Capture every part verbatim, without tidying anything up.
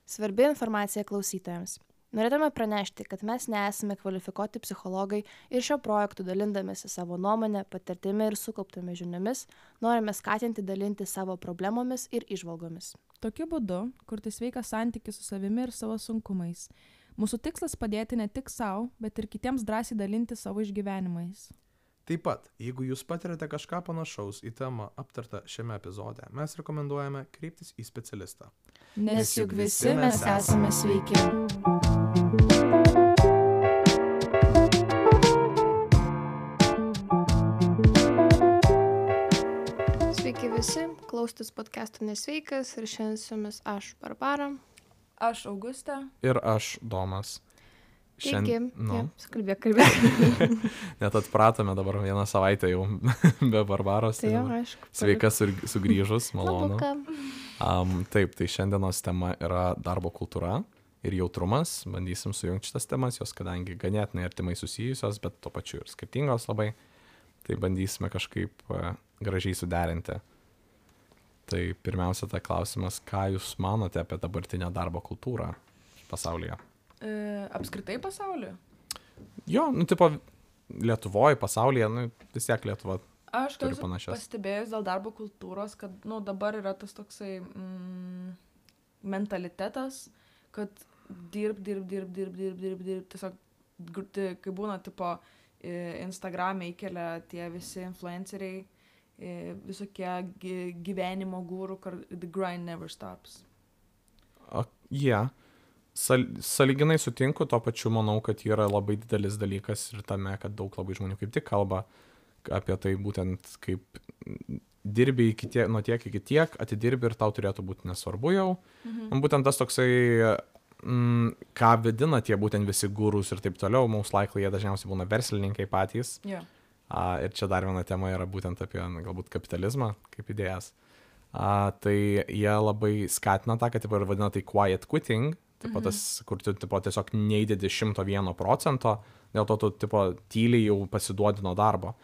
Svarbi informacija klausytojams. Norėtume pranešti, kad mes nesame kvalifikuoti psichologai ir šio projektu dalindamėsi savo nuomonę, patirtimi ir sukauptomis žiniomis, norime skatinti dalinti savo problemomis ir įžvalgomis. Tokiu būdu kurti sveiką santykį su savimi ir savo sunkumais. Mūsų tikslas padėti ne tik savo, bet ir kitiems drąsiai dalinti savo išgyvenimais. Taip pat, jeigu jūs patiriate kažką panašaus į temą aptartą šiame epizode, mes rekomenduojame kreiptis į specialistą. Nes juk visi mes esame sveiki. Sveiki visi, klaustis podcast'o Nesveikas ir šiandien su jumis aš, Barbara. Aš Augustė. Ir aš, Domas. Taigi, nu. ja, kalbėk, kalbėk. Net atpratome dabar vieną savaitę jau be Barbaros. Tai jau, aišku. Sveika sugrįžus, malonu. Labuka. Um, taip, tai šiandienos tema yra darbo kultūra ir jautrumas. Bandysim sujungti šitas temas, jos kadangi ganėtinai artimai susijusios, bet tuo pačiu ir skirtingos labai. Tai bandysime kažkaip uh, gražiai suderinti. Tai pirmiausia, tai klausimas, ką jūs manote apie dabartinę darbo kultūrą pasaulyje? E, apskritai pasaulyje? Jo, nu, tipo, Lietuvoje, pasaulyje, nu, vis tiek Lietuva Aš turi esu panašias. pastebėjus dėl darbo kultūros, kad nu, dabar yra tas toksai mm, mentalitetas, kad dirb, dirb, dirb, dirb, dirb, dirb, dirb, tiesiog, gr- tai, kai būna, tipo, e, Instagram'e įkelia tie visi influenceriai, e, visokie gy- gyvenimo gūrų, kad the grind never stops. O, jie. Yeah. Sal, saliginai sutinku, tuo pačiu manau, kad yra labai didelis dalykas ir tame, kad daug labai žmonių kaip tik kalba apie tai būtent kaip dirbi iki tiek, nuo tiek iki tiek, atidirbi ir tau turėtų būti nesvarbu jau. Mhm. Būtent tas toksai, mm, ką vedina tie būtent visi gurus ir taip toliau, most likely jie dažniausiai būna verslininkai patys. Yeah. A, ir čia dar viena tema yra būtent apie na, galbūt kapitalizmą kaip idėjas. A, tai jie labai skatina tą, kad taip ir vadina tai quiet quitting. Tipo tas, kur tu tipo, tiesiog neįdedi šimto vieno procento, dėl to tu tipo, tyliai jau pasiduodi nuo darbo.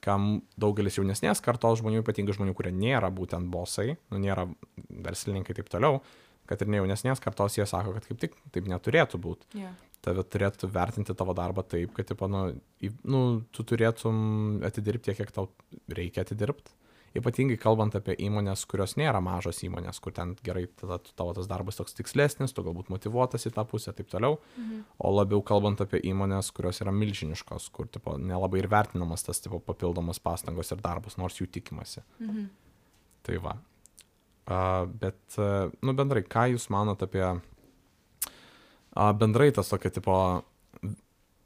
Kam daugelis jaunesnės kartos žmonių, ypatingai žmonių, kurie nėra būtent bosai, nu, nėra verslininkai taip toliau, kad ir ne jaunesnės kartos, jie sako, kad kaip tik taip neturėtų būti. Yeah. Tave turėtų vertinti tavo darbą taip, kad tipo, nu, į, nu, tu turėtum atidirbti tiek, kiek tau reikia atidirbti. Ypatingai kalbant apie įmonės, kurios nėra mažos įmonės, kur ten gerai tada tavo tas darbas toks tikslesnis, tu galbūt motyvuotas į tą pusę, taip toliau. Mhm. O labiau kalbant apie įmonės, kurios yra milžiniškos, kur tipo, nelabai ir vertinamas tas tipo, papildomas pastangos ir darbas, nors jų tikimasi. Mhm. Tai va. Uh, bet, uh, nu bendrai, ką jūs manot apie uh, bendrai tas tokio tipo,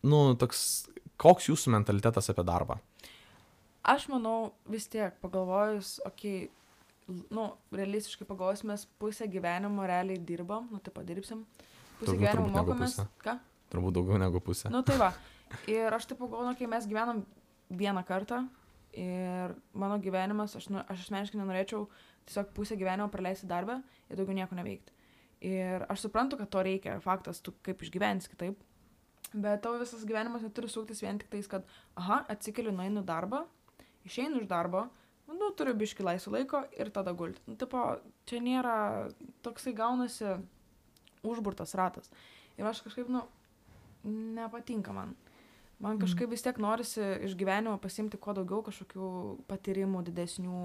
nu toks, koks jūsų mentalitetas apie darbą? Aš manau, vis tiek pagalvojus, okei, okay, nu, realistiškai pagalvojus, mes pusę gyvenimo realiai dirbam, nu, tai padirbsim, pusę Turbūt, gyvenimo turbūt negu mokomės, pusę. ką? Turbūt daugiau negu pusė. Nu, tai va, ir aš taip pagalvoju, kai mes gyvenam vieną kartą ir mano gyvenimas, aš, nu, aš asmeniškai nenorėčiau tiesiog pusę gyvenimo praleisti darbę ir daugiau nieko neveikti. Ir aš suprantu, kad to reikia, faktas, tu kaip išgyvensi kitaip, bet tavo visas gyvenimas neturi suktis vien tik tais, kad, aha, atsikeliu, nueinu darbą, išeinu iš darbo, nu, turiu biškį laisvo laiko ir tada gulti. Nu, tipo, čia nėra, toksai gaunasi užburtas ratas. Ir aš kažkaip, nu, nepatinka man. Man kažkaip vis tiek norisi iš gyvenimo pasimti kuo daugiau kažkokių patyrimų didesnių,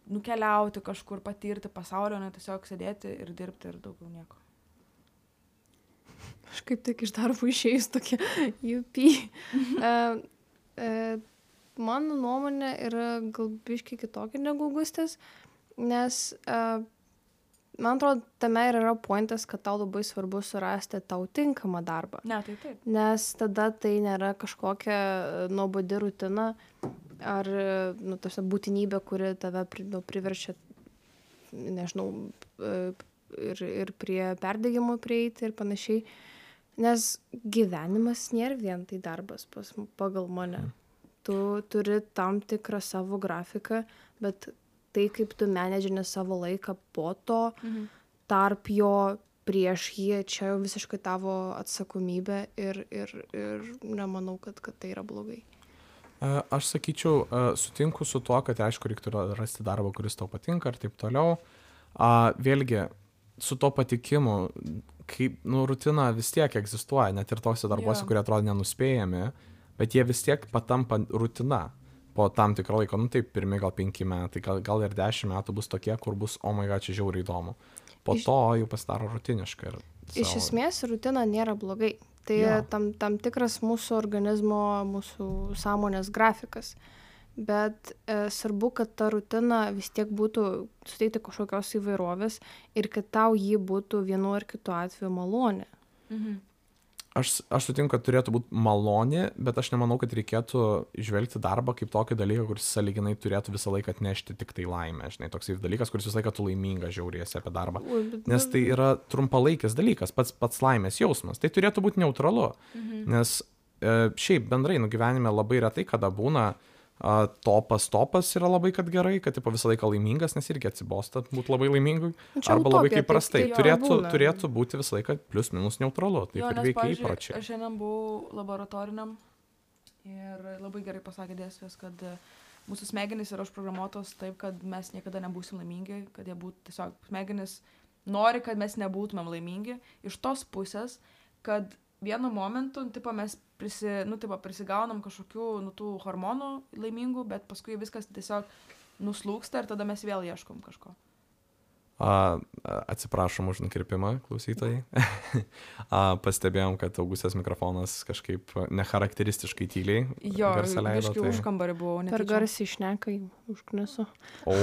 nukeliauti kažkur, patirti pasaulio, ne tiesiog sėdėti ir dirbti ir daugiau nieko. Aš kaip tik iš darbo išėjus tokia U P. uh, uh, Mano nuomonė yra gal biškiai kitokia negu Augustės, nes uh, man atrodo, tame ir yra pointas, kad tau labai svarbu surasti tau tinkamą darbą. Ne, tai taip. Nes tada tai nėra kažkokia nuobodi rutina ar nu, tarsi, būtinybė, kuri tave pri, nu, priverčia, nežinau, ir, ir prie perdegimo prieiti ir panašiai. Nes gyvenimas nėra vien tai darbas pas, pagal mane. Tu turi tam tikrą savo grafiką, bet tai, kaip tu menedžini savo laiką po to, mhm. tarp jo, prieš jį, čia jau visiškai tavo atsakomybė ir, ir, ir nemanau, kad, kad tai yra blogai. Aš sakyčiau, sutinku su tuo, kad aišku, reiktų rasti darbą, kuris tau patinka ir taip toliau. Vėlgi, su to patikimu, kaip, nu, rutina vis tiek egzistuoja, net ir tose darbuose, Jo. kurie atrodo nenuspėjami, bet jie vis tiek patampa rutina. Po tam tikro laiko, nu taip, pirmi gal penki metai, gal, gal ir dešimt metų bus tokie, kur bus, o my god, čia žiauriai įdomu. Po Iš- to jau pasidaro rutiniška. Ir Iš savo- esmės rutina nėra blogai. Tai Jo. tam, tam tikras mūsų organizmo, mūsų sąmonės grafikas. Bet e, svarbu, kad ta rutina vis tiek būtų suteikti kažkokios įvairovės ir kad tau jį būtų vienu ar kitu atveju malonė. Mhm. Aš, aš sutinku, kad turėtų būti malonė, bet aš nemanau, kad reikėtų žvelgti darbą kaip tokį dalyką, kuris sąlyginai turėtų visą laiką atnešti tik tai laimę. Žinai, toks dalykas, kuris visą laiką tu laiminga žiauriesi apie darbą. Ui, bet- Nes tai yra trumpalaikis dalykas, pats, pats laimės jausmas. Tai turėtų būti neutralu. Mhm. Nes e, šiaip bendrai, nu gyvenime labai retai, kada būna a, topas, topas yra labai kad gerai, kad tipo, visą laiką laimingas, nes irgi atsibosta būti labai laimingai. Nu, čia Arba labai utopija, kaip prastai. taip- taip Turėtų, būna. turėtų būti visą laiką plius minus neutralu. Taip Jo, ir nes, veikia pavyzdžiui, įpročiai. aš šiandien buvau laboratoriniam ir labai gerai pasakė dėstytojas, kad e, mūsų smegenys yra užprogramuotos taip, kad mes niekada nebūsim laimingi, kad jie būtų tiesiog, smegenys nori, kad mes nebūtumėm laimingi, iš tos pusės, kad vienu momentu, nu, tipo, mes prisi, nu, tipo, prisigaunam kažkokių nu, tų hormonų laimingų, bet paskui viskas tiesiog nuslūksta ir tada mes vėl ieškom kažko. A, a, atsiprašom už nukirpimą, klausytojai. A, pastebėjom, kad Augustės mikrofonas kažkaip necharakteristiškai tyliai Jo, garsą leido. biškai už kambarį buvau. Per netyčia. garsiai šnekai, užknisu. O,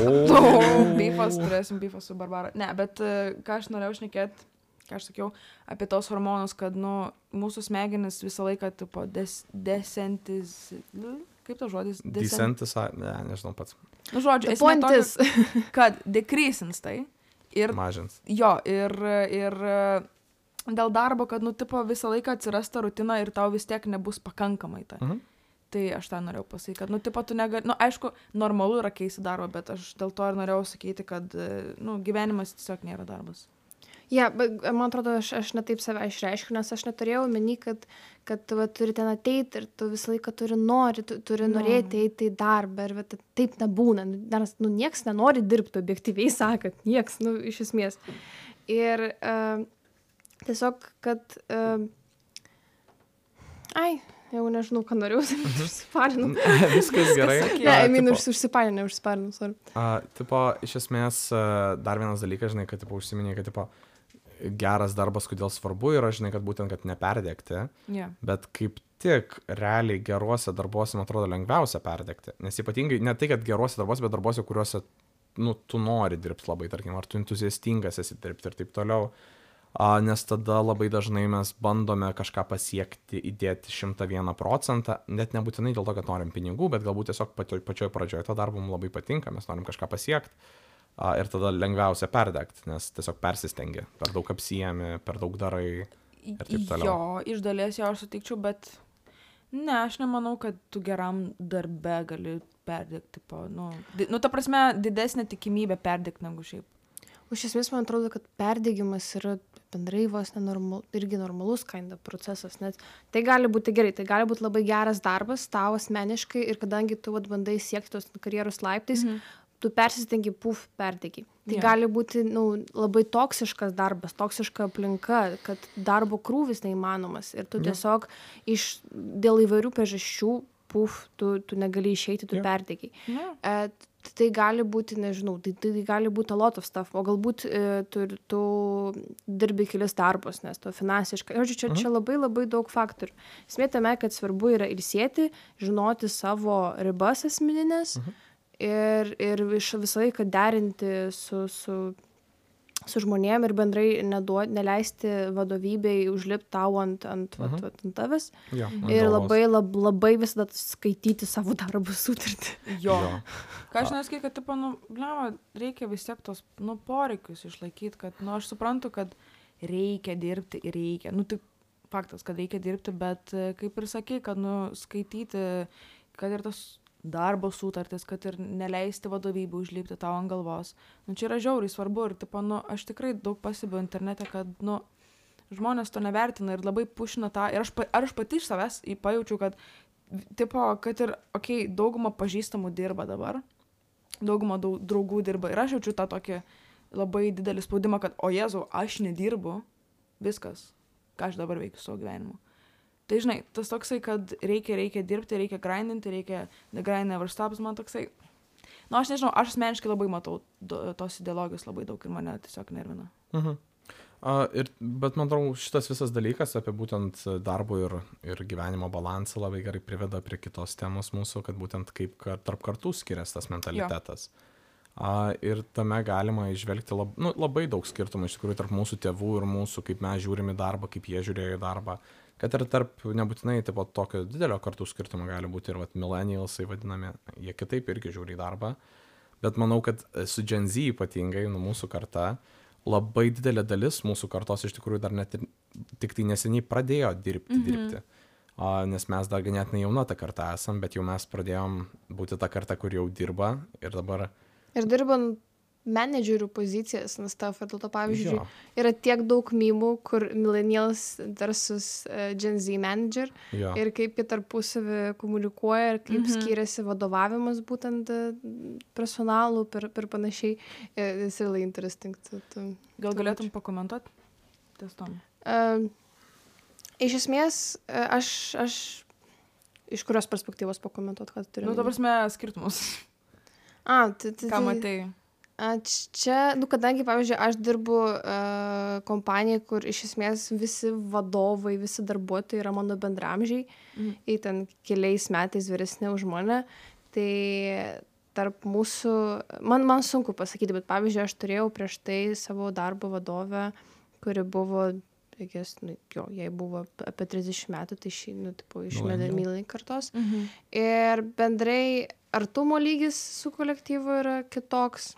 Bifas, turėsim bifą su Barbara. Ne, bet e, ką aš norėjau šnekėti, ką aš sakiau, apie tos hormonus, kad, nu, mūsų smegenis visą laiką, tipo, des, desentis... nu, kaip tas žodis? Decentis, ne, nežinau pats, Nu, žodžiu, The esmė point tokia, is. kad decreasins tai. Ir, mažins. jo, ir, ir e, dėl darbo, kad, nu, tipo, visą laiką atsiras ta rutina ir tau vis tiek nebus pakankamai ta. Mhm. Tai aš tą norėjau pasakyti, kad, nu, tipo, tu negali, nu, aišku, normalu yra keisti darbą, bet aš dėl to ir norėjau sakyti, kad, e, nu, gyvenimas tiesiog nėra darbas. Ja, bet man atrodo, aš, aš netaip save išreiškiu, nes aš neturėjau meni, kad, kad tu va, turi ten ateiti ir tu visą laiką turi nori, tu, turi Nu. norėti eiti į darbą ir va, ta- taip nebūna. Nu, Nes nu, nieks nenori dirbti, objektyviai sakant, nieks, nu, iš esmės. Ir uh, tiesiog, kad... Uh, ai, jau nežinau, ką norėjau, užsiparinau. Viskas gerai. sakei. Ne, A, I mean, tipo- už, užsiparinau, užsiparinau, sorry. A, tipo, iš esmės, a, dar vienas dalykas, žinai, kad, tipo, užsiminė, kad, tipo, geras darbas, kodėl svarbu yra, žinai, kad būtent, kad neperdegti, Yeah. bet kaip tik realiai geruose darbuose, man atrodo, lengviausia perdegti. Nes ypatingai, ne tai, kad geruose darbuose, bet darbuose, kuriuose, nu, tu nori dirbti labai, tarkim, ar tu entuziastingas esi dirbti ir taip toliau. A, nes tada labai dažnai mes bandome kažką pasiekti, įdėti šimtą vieną procentą, net nebūtinai dėl to, kad norim pinigų, bet galbūt tiesiog pačioj, pačioj pradžioje to darbo mums labai patinka, mes norim kažką pasiekti. A, ir tada lengviausia perdegti, nes tiesiog persistengi, per daug apsijami, per daug darai. Ir taip toliau. Jo, iš dalies jo aš sutikčiau, bet ne, aš nemanau, kad tu geram darbe gali perdegti. Po, nu, di, nu, ta prasme, didesnė tikimybė perdegti negu šiaip. Iš esmės, man atrodo, kad perdegimas yra bendrai vos nenormal, irgi normalus kinda procesas, nes tai gali būti gerai, tai gali būti labai geras darbas tau asmeniškai ir kadangi tu vat, bandai siekti tos karjeros laiptais, Mhm. tu persistengi, puf, perdegi. Tai Jo. gali būti nu, labai toksiškas darbas, toksiška aplinka, kad darbo krūvis neįmanomas ir tu Jo. tiesiog iš, dėl įvairių priežasčių, puf, tu, tu negali išeiti, tu Jo. perdegi. Ne. E, tai gali būti, nežinau, tai, tai gali būti a lot of stuff, o galbūt e, tu, tu dirbi kelis darbus, nes tu finansiškai, žodžiu, čia, čia labai labai daug faktorių. Esmė tame, kad svarbu yra ilsėti, žinoti savo ribas asmeninės ir, ir iš visą laiką derinti su, su, su žmonėm ir bendrai neduot, neleisti vadovybei užlipti tau ant, ant, vat, Mhm. vat, ant tavęs Jo, ant ir galvos. labai, lab, labai visada skaityti savo darbo sutartį. Jo. Jo. Ką aš neskai, kad, tipo, nu, blema, reikia vis tiek tos, nu, poreikius išlaikyti, kad, nu, aš suprantu, kad reikia dirbti ir reikia. Nu, tai faktas, kad reikia dirbti, bet e, kaip ir sakai, kad, nu, skaityti, kad ir tas darbo sutartis, kad ir neleisti vadovybę užlipti tau ant galvos. Nu, čia yra žiauriai svarbu ir, tipo, nu, aš tikrai daug pasibiu internete, kad, nu, žmonės to nevertina ir labai pušina tą. Ir aš, pa- ar aš pati iš savęs į- pajaučiau, kad, tipo, kad ir, okei, okay, dauguma pažįstamų dirba dabar, dauguma dau- draugų dirba ir aš jaučiu tą tokį, labai didelį spaudimą, kad, o Jėzau, aš nedirbu, viskas, ką aš dabar veikiu savo gyvenimu. Tai žinai, tas toksai, kad reikia, reikia dirbti, reikia grindinti, reikia the grind never stops, man toksai. Nu, aš nežinau, aš asmeniškai labai matau do, tos ideologijos labai daug ir mane tiesiog nervina. Mhm. Uh, ir, bet man atrodo, šitas visas dalykas apie būtent darbo ir, ir gyvenimo balansą labai gerai priveda prie kitos temos mūsų, kad būtent kaip kar, tarp kartų skiriasi tas mentalitetas. Uh, ir tame galima išvelgti lab, nu, labai daug skirtumų iš tikrųjų tarp mūsų tėvų ir mūsų, kaip mes žiūrime į darbą, kaip jie žiūrėjo į darbą. Kad ir tarp nebūtinai taip, tokio didelio kartų skirtumo gali būti ir vat, millennialsai vadinami, jie kitaip irgi žiūri į darbą. Bet manau, kad su Gen Z ypatingai, nu, mūsų karta, labai didelė dalis mūsų kartos iš tikrųjų dar net ir, tik tai neseniai pradėjo dirbti, mm-hmm. dirbti. O, nes mes dar ganėtinai jauna ta karta esam, bet jau mes pradėjom būti ta karta, kur jau dirba ir dabar... Ir dirbant menedžerių pozicijas, nes tavo, dėl to pavyzdžiui, Jo. yra tiek daug mymų, kur millennials versus uh, Gen Z manager Jo. ir kaip jie tarpusavį komunikuoja ir kaip Mhm. skiriasi vadovavimas būtent uh, personalų per, per panašiai. It's really interesting. To, to, Gal galėtum pakomentuoti ties tom? Uh, iš esmės, uh, aš, aš iš kurios perspektyvos pakomentuoti, ką tu turi? Nu, ta prasme, skirtumus. A, tai, tai, Ką matai? A, čia, nu, kadangi, pavyzdžiui, aš dirbu uh, kompanijai, kur iš esmės visi vadovai, visi darbuotojai yra mano bendramžiai, Mhm. į ten keliais metais vyresni už mane, tai tarp mūsų, man, man sunku pasakyti, bet pavyzdžiui, aš turėjau prieš tai savo darbo vadovę, kuri buvo, reikės, nu, jo, jai buvo apie trisdešimt metų, tai šį, nu, tipo, iš Millennial. milai kartos. Mhm. Ir bendrai artumo lygis su kolektyvu yra kitoks.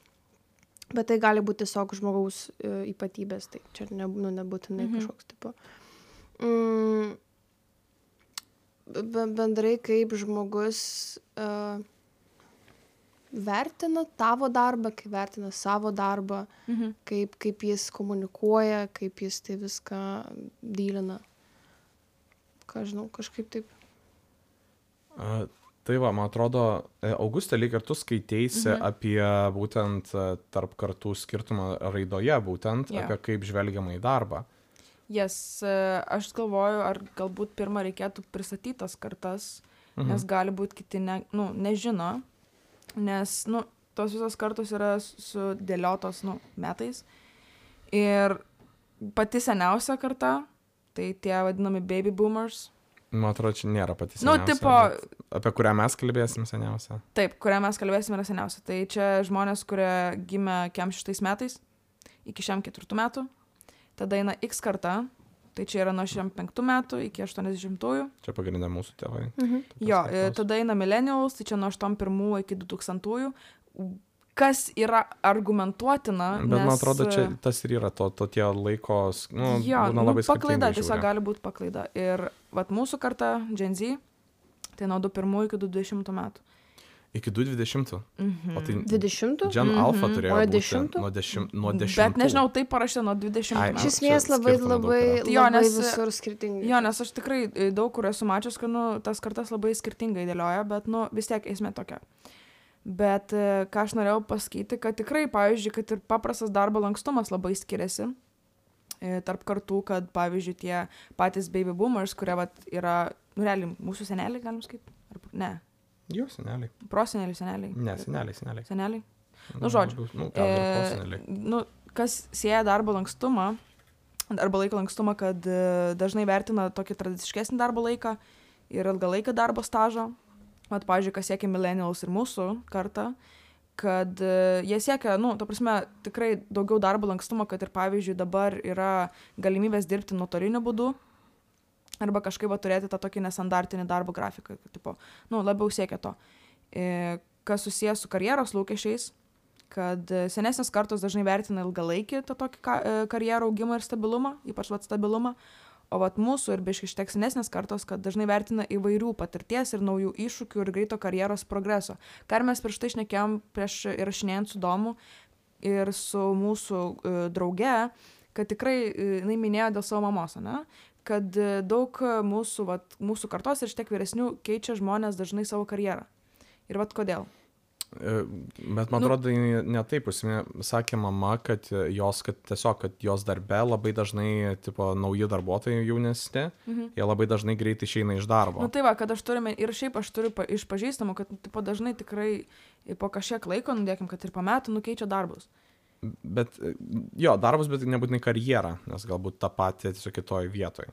Bet tai gali būti tiesiog žmogaus e, ypatybės, tai čia ne, nu, nebūtinai Mhm. kažkoks tipo. Mm, be- bendrai kaip žmogus uh, vertina tavo darbą, kaip vertina savo darbą, Mhm. kaip, kaip jis komunikuoja, kaip jis tai viską dylina. Ką žinau, kažkaip taip. A, tai va, man atrodo, e, Augustė, lyg ir tu skaiteisi Mhm. apie būtent e, tarp kartų skirtumą raidoje, būtent Jo. apie kaip žvelgiama į darbą. Jas, e, aš galvoju, ar galbūt pirmą reikėtų pristatyti tas kartas, Mhm. nes gali būti kiti ne, nu, nežino, nes nu, tos visos kartos yra sudėliotos nu, metais. Ir pati seniausia karta, tai tie vadinami baby boomers, Man atrodo, čia nėra pati Nu, seniausia. tipo- bet apie kurią mes kalbėsim seniausia. taip, kurią mes kalbėsime, yra seniausia. Tai čia žmonės, kurie gimė kem šeštais metais, iki šiam ketvirtų metų. Tada eina X karta, tai čia yra nuo šiam penktų metų iki aštuoniasdešimtųjų. Čia pagrindė mūsų tėvai. Mhm. Jo, Tas e, kartos. tada eina millennials, tai čia nuo aštuoniasdešimt pirmų iki du tūkstantųjų. Kas yra argumentuotina, Bet nes... man atrodo, čia tas ir yra to, to tie laikos, nu, jo, būna nu, labai paklaida, skirtingai tiesiog žiūri. gali būti paklaida. Ir vat mūsų karta, Gen Z, tai nuo du pirmų iki du dvidešimtų metų. Iki du dvidešimtų. Mhm. O tai dvidešimtų? Gen Mhm. Alpha turėjo O būti dešimtų? nuo dešim- nuo dešimtų. Bet nežinau, tai parašė nuo dvidešimtų Ai, metų. Iš esmės čia labai, skirtumų daug labai, yra. Jo, labai nes- visur skirtingai. Jo, nes aš tikrai e, daug kur esu mačius, kad nu, tas kartas labai skirtingai dėlioja, bet nu, vis tiek esmė tokia. Bet e, ką aš norėjau pasakyti, kad tikrai, pavyzdžiui, kad ir paprastas darbo lankstumas labai skiriasi e, tarp kartų, kad, pavyzdžiui, tie patys baby boomers, kurie vat, yra, nu, realiai, mūsų seneliai, galim sakyti? Ar, ne, Jo, seneliai. proseneliai, seneliai. Ne, seneliai, seneliai. Seneliai. Nu, žodžiu. labiau- Nu, gal ir E, proseneliai. nu, kas sieja darbo lankstumą, darbo laiko lankstumą, kad e, dažnai vertina tokį tradiciškesnį darbo laiką ir ilgalaiką darbo stažą. Mat, pavyzdžiui, kas siekia millennials ir mūsų kartą, kad e, jie siekia, nu, ta prasme, tikrai daugiau darbo lankstumo, kad ir, pavyzdžiui, dabar yra galimybės dirbti nuotoliniu būdu arba kažkaip va, turėti tą tokį nestandartinį darbo grafiką, kad, tipo, nu, labiau siekia to. E, kas susijęs su karjeros lūkesčiais, kad e, senesnės kartos dažnai vertina ilgalaikį tą tokį ka, e, karjerą augimą ir stabilumą, ypač vat stabilumą, o vat mūsų ir biškai šiek tiek senesnės kartos, kad dažnai vertina įvairių patirties ir naujų iššūkių ir greito karjeros progreso. Ką ir mes prieš tai šnekėjom, prieš įrašinėjant su Domu ir su mūsų e, drauge, kad tikrai e, jinai minėjo dėl savo mamos, ne? Kad e, daug mūsų, vat, mūsų kartos ir šiek tiek vyresnių keičia žmonės dažnai savo karjerą. Ir vat kodėl. E, Bet man atrodo, nu, ne taip, sakė mama, kad jos, kad tiesiog, kad jos darbe labai dažnai, tipo, nauji darbuotojai jaunesni, mhm. jie labai dažnai greitai išeina iš darbo. Na nu, tai va, kad aš turime, ir šiaip aš turiu pa, iš pažįstamų, kad tipo, dažnai tikrai po kažkiek laiko, nudėkim, kad ir po metų nukeičia darbus. Bet, jo, darbus, bet nebūtinai karjerą, nes galbūt tą patį tiesiog kitoj vietoj.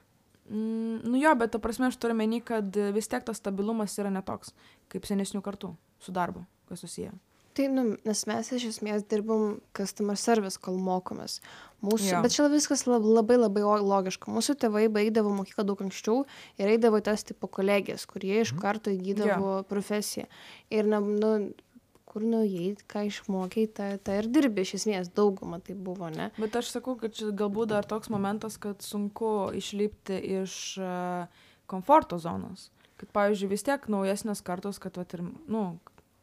Mm, nu jo, bet ta prasme aš turiu meni, kad vis tiek tas stabilumas yra netoks, kaip senesnių kartų su darbu, kas susiję. Tai, nu, nes mes iš esmės dirbam customer service, kol mokomės. Mūsų, ja. Bet čia viskas labai labai logiška. Mūsų tėvai baigdavo mokyklą daug anksčiau ir eidavo tas tipo kolegijas, kurie iš karto įgydavo ja. profesiją. Ir, na, nu, kur nuėjai, ką išmokai, tą, tą ir dirbi, iš esmės daugumą tai buvo, ne? Bet aš sakau, kad čia galbūt dar toks momentas, kad sunku išlipti iš uh, komforto zonos. Kad, pavyzdžiui, vis tiek naujesnės kartos, kad, vat, ir, nu,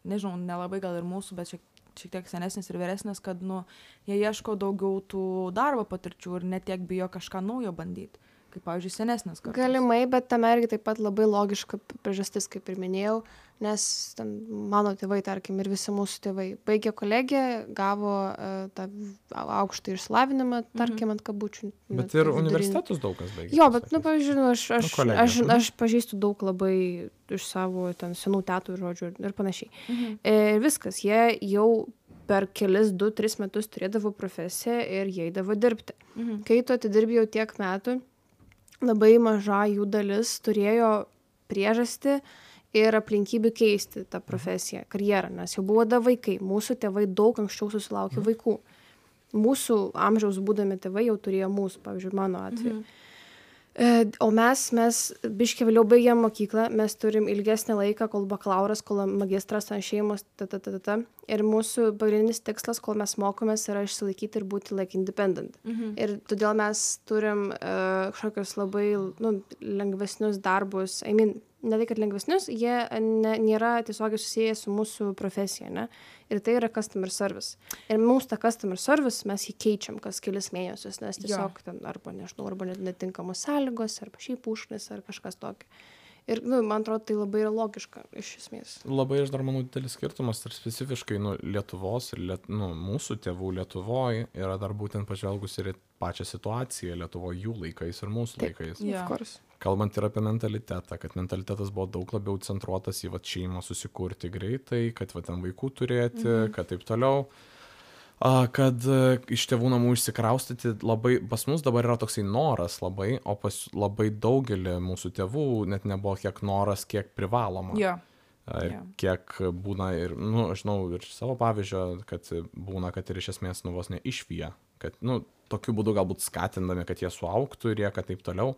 nežinau, nelabai gal ir mūsų, bet šiek, šiek tiek senesnės ir vyresnės, kad, nu, jie ieško daugiau tų darbo patirčių ir net tiek bijo kažką naujo bandyti. Kaip, pavyzdžiui, senesnės kartos. Galimai, bet tam irgi taip pat labai logiška priežastis, kaip ir minėjau, nes ten mano tėvai, tarkim, ir visi mūsų tėvai baigė kolegiją, gavo uh, tą aukštą išsilavinimą, tarkim, ant kabučių. Bet ir universitetus daug kas baigė. Jo, bet, nu, pavyzdžiui, aš, aš, nu, aš, aš, aš pažįstu daug labai iš savo ten senų tetų, žodžių ir panašiai. Mhm. Ir viskas, jie jau per kelis, du, tris metus turėdavo profesiją ir jie eidavo dirbti. Mhm. Kai tu atidirbi jau tiek metų, labai maža jų dalis turėjo priežastį ir aplinkybių keisti tą profesiją, karjerą, nes jau buvo da vaikai. Mūsų tėvai daug anksčiau susilaukė vaikų. Mūsų amžiaus būdami tėvai jau turėjo mūsų, pavyzdžiui, mano atveju. Mhm. O mes, mes biškį vėliau baigėm mokyklą, mes turim ilgesnį laiką, kol bakalauras, kol magistras, šeimos, ta, ta, ta, ta, ta. Ir mūsų pagrindinis tikslas, kol mes mokomės, yra išsilaikyti ir būti like independent. Mhm. Ir todėl mes turim uh, kažkokius labai nu, lengvesnius darbus, I mean, ne tai, kad lengvesnius, jie ne, nėra tiesiogiai susiję su mūsų profesija, ne? Ir tai yra customer service. Ir mums tą customer service mes jį keičiam kas kelis mėnesius, nes tiesiog ten arba, nežinau, arba netinkamos sąlygos, arba šiaip užknis, ar kažkas tokio. Ir, nu, man atrodo, tai labai yra logiška, iš esmės. Labai, aš dar manau, didelis skirtumas, ir specifiškai, nu, Lietuvos ir, liet, nu, mūsų tėvų Lietuvoje yra dar būtent pažvelgus ir pačią situaciją Lietuvoje jų laikais ir mūsų Taip, laikais. Yeah. Kalbant ir apie mentalitetą, kad mentalitetas buvo daug labiau centruotas į vat, šeimą susikurti greitai, kad vat, ten vaikų turėti, mhm. kad taip toliau. A, kad a, iš tėvų namų išsikraustyti labai, pas mus dabar yra toksai noras labai, o pas labai daugelį mūsų tėvų net nebuvo kiek noras, kiek privaloma. Yeah. A, ir yeah. kiek būna ir, nu, aš žinau, ir savo pavyzdžio, kad būna, kad ir iš esmės nu vos ne išvyja, kad, nu, tokiu būdu galbūt skatindami, kad jie suaugtų ir jie, kad taip toliau.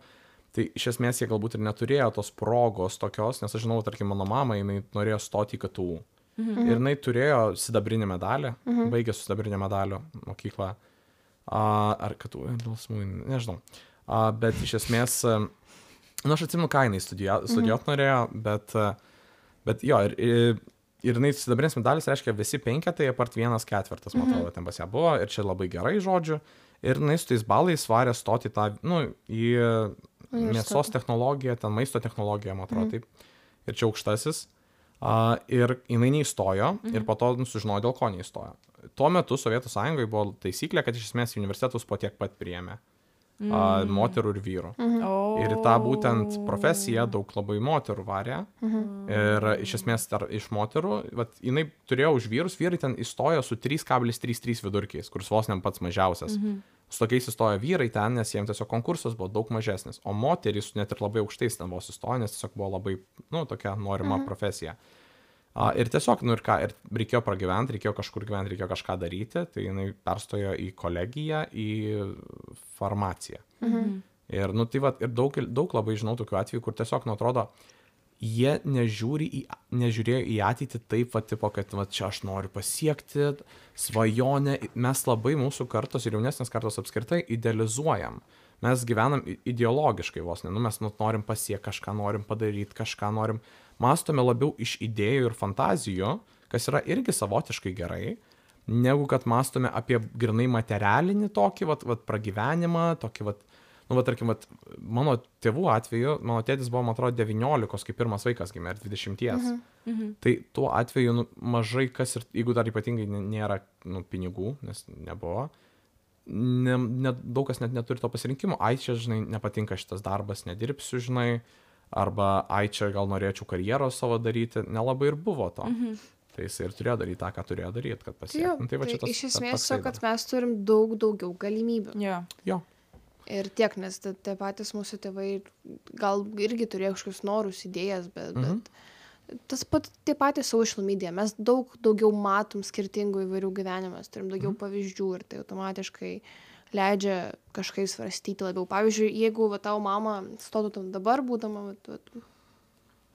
Tai iš esmės jie galbūt ir neturėjo tos progos tokios, nes aš žinau, tarkim, mano mama, jinai norėjo stoti į K T U. Mhm. Ir jinai turėjo sidabrinį medalį, mhm. baigė su sidabrinio medalio mokyklą. A, ar K T U, nežinau. A, bet iš esmės, nu aš atsimenu, ką jinai studijuot mhm. norėjo, bet, bet jo, ir, ir, ir jinai sidabrinis medalis reiškia visi penketai, apart vienas ketvirtas, man atrodo, mhm. ten pas ją buvo, ir čia labai gerai žodžiu. Ir jinai su tais balais svarė stoti tą, nu, į mėsos technologiją, ten maisto technologiją, man atrodo, mhm. taip. Ir čia aukštasis. Uh, ir jinai neįstojo, mhm. ir po to sužinojo, dėl ko neįstojo. Tuo metu Sovietų Sąjungoje buvo taisyklė, kad iš esmės universitetus po tiek pat priėmė mhm. uh, moterų ir vyrų. Mhm. Oh. Ir tą būtent profesiją daug labai moterų varė. Mhm. Ir iš esmės tar, iš moterų, vat, jinai turėjo už vyrus, vyrai ten įstojo su trys kablelis trys trys vidurkiais, kuris vos ne pats mažiausias. Mhm. Su tokiais įstojo vyrai ten, nes jiems tiesiog konkursas buvo daug mažesnis, o moterys net ir labai aukštais ten vos įstojo, nes tiesiog buvo labai, nu, tokia norima mhm. profesija. A, ir tiesiog, nu ir ką, ir reikėjo pragyventi, reikėjo kažkur gyventi, reikėjo kažką daryti, tai jinai perstojo į kolegiją, į farmaciją. Mhm. Ir, nu, tai va, ir daug, daug labai žinau tokių atvejų, kur tiesiog, nu, atrodo, jie nežiūri į, nežiūrėjo į ateitį taip, va, tipo, kad va, čia aš noriu pasiekti svajonę. Mes labai mūsų kartos ir jaunesnės kartos apskritai idealizuojam. Mes gyvenam ideologiškai vos, ne, nu, mes nu, norim pasiekti kažką, norim padaryti kažką, norim, mąstome labiau iš idėjų ir fantazijų, kas yra irgi savotiškai gerai, negu kad mąstome apie grinai materialinį tokį, vat, vat, pragyvenimą, tokį, vat, nu, va, tarkim, vat, mano tėvų atveju, mano tėtis buvo, man atrodo, devyniolikos, kai pirmas vaikas gimė, ar dvidešimties. Mhm. Mhm. Tai tuo atveju, nu, mažai kas ir, jeigu dar ypatingai nė- nėra, nu, pinigų, nes nebuvo, ne, ne, daug kas net neturi to pasirinkimo, ai čia, žinai, nepatinka šitas darbas, nedirbsiu, žinai, arba ai čia gal norėčiau karjeros savo daryti, nelabai ir buvo to. Mhm. Tai jisai ir turėjo daryti tą, ką turėjo daryti, kad pasiektų. Tai, va tai čia tas- iš ta- esmės toksai to, kad dar. mes turim daug daugiau galimybių. Jo. Jo, Ir tiek, nes ta- tie patys mūsų tėvai gal irgi turėjo kažkokius norus, idėjas, bet, Mhm. bet tas pat, tie patys social media, mes daug daugiau matom skirtingų įvairių gyvenimų, turim daugiau pavyzdžių ir tai automatiškai leidžia kažkaip svarstyti labiau. Pavyzdžiui, jeigu va, tavo mama stotų tam dabar, būdama va, va,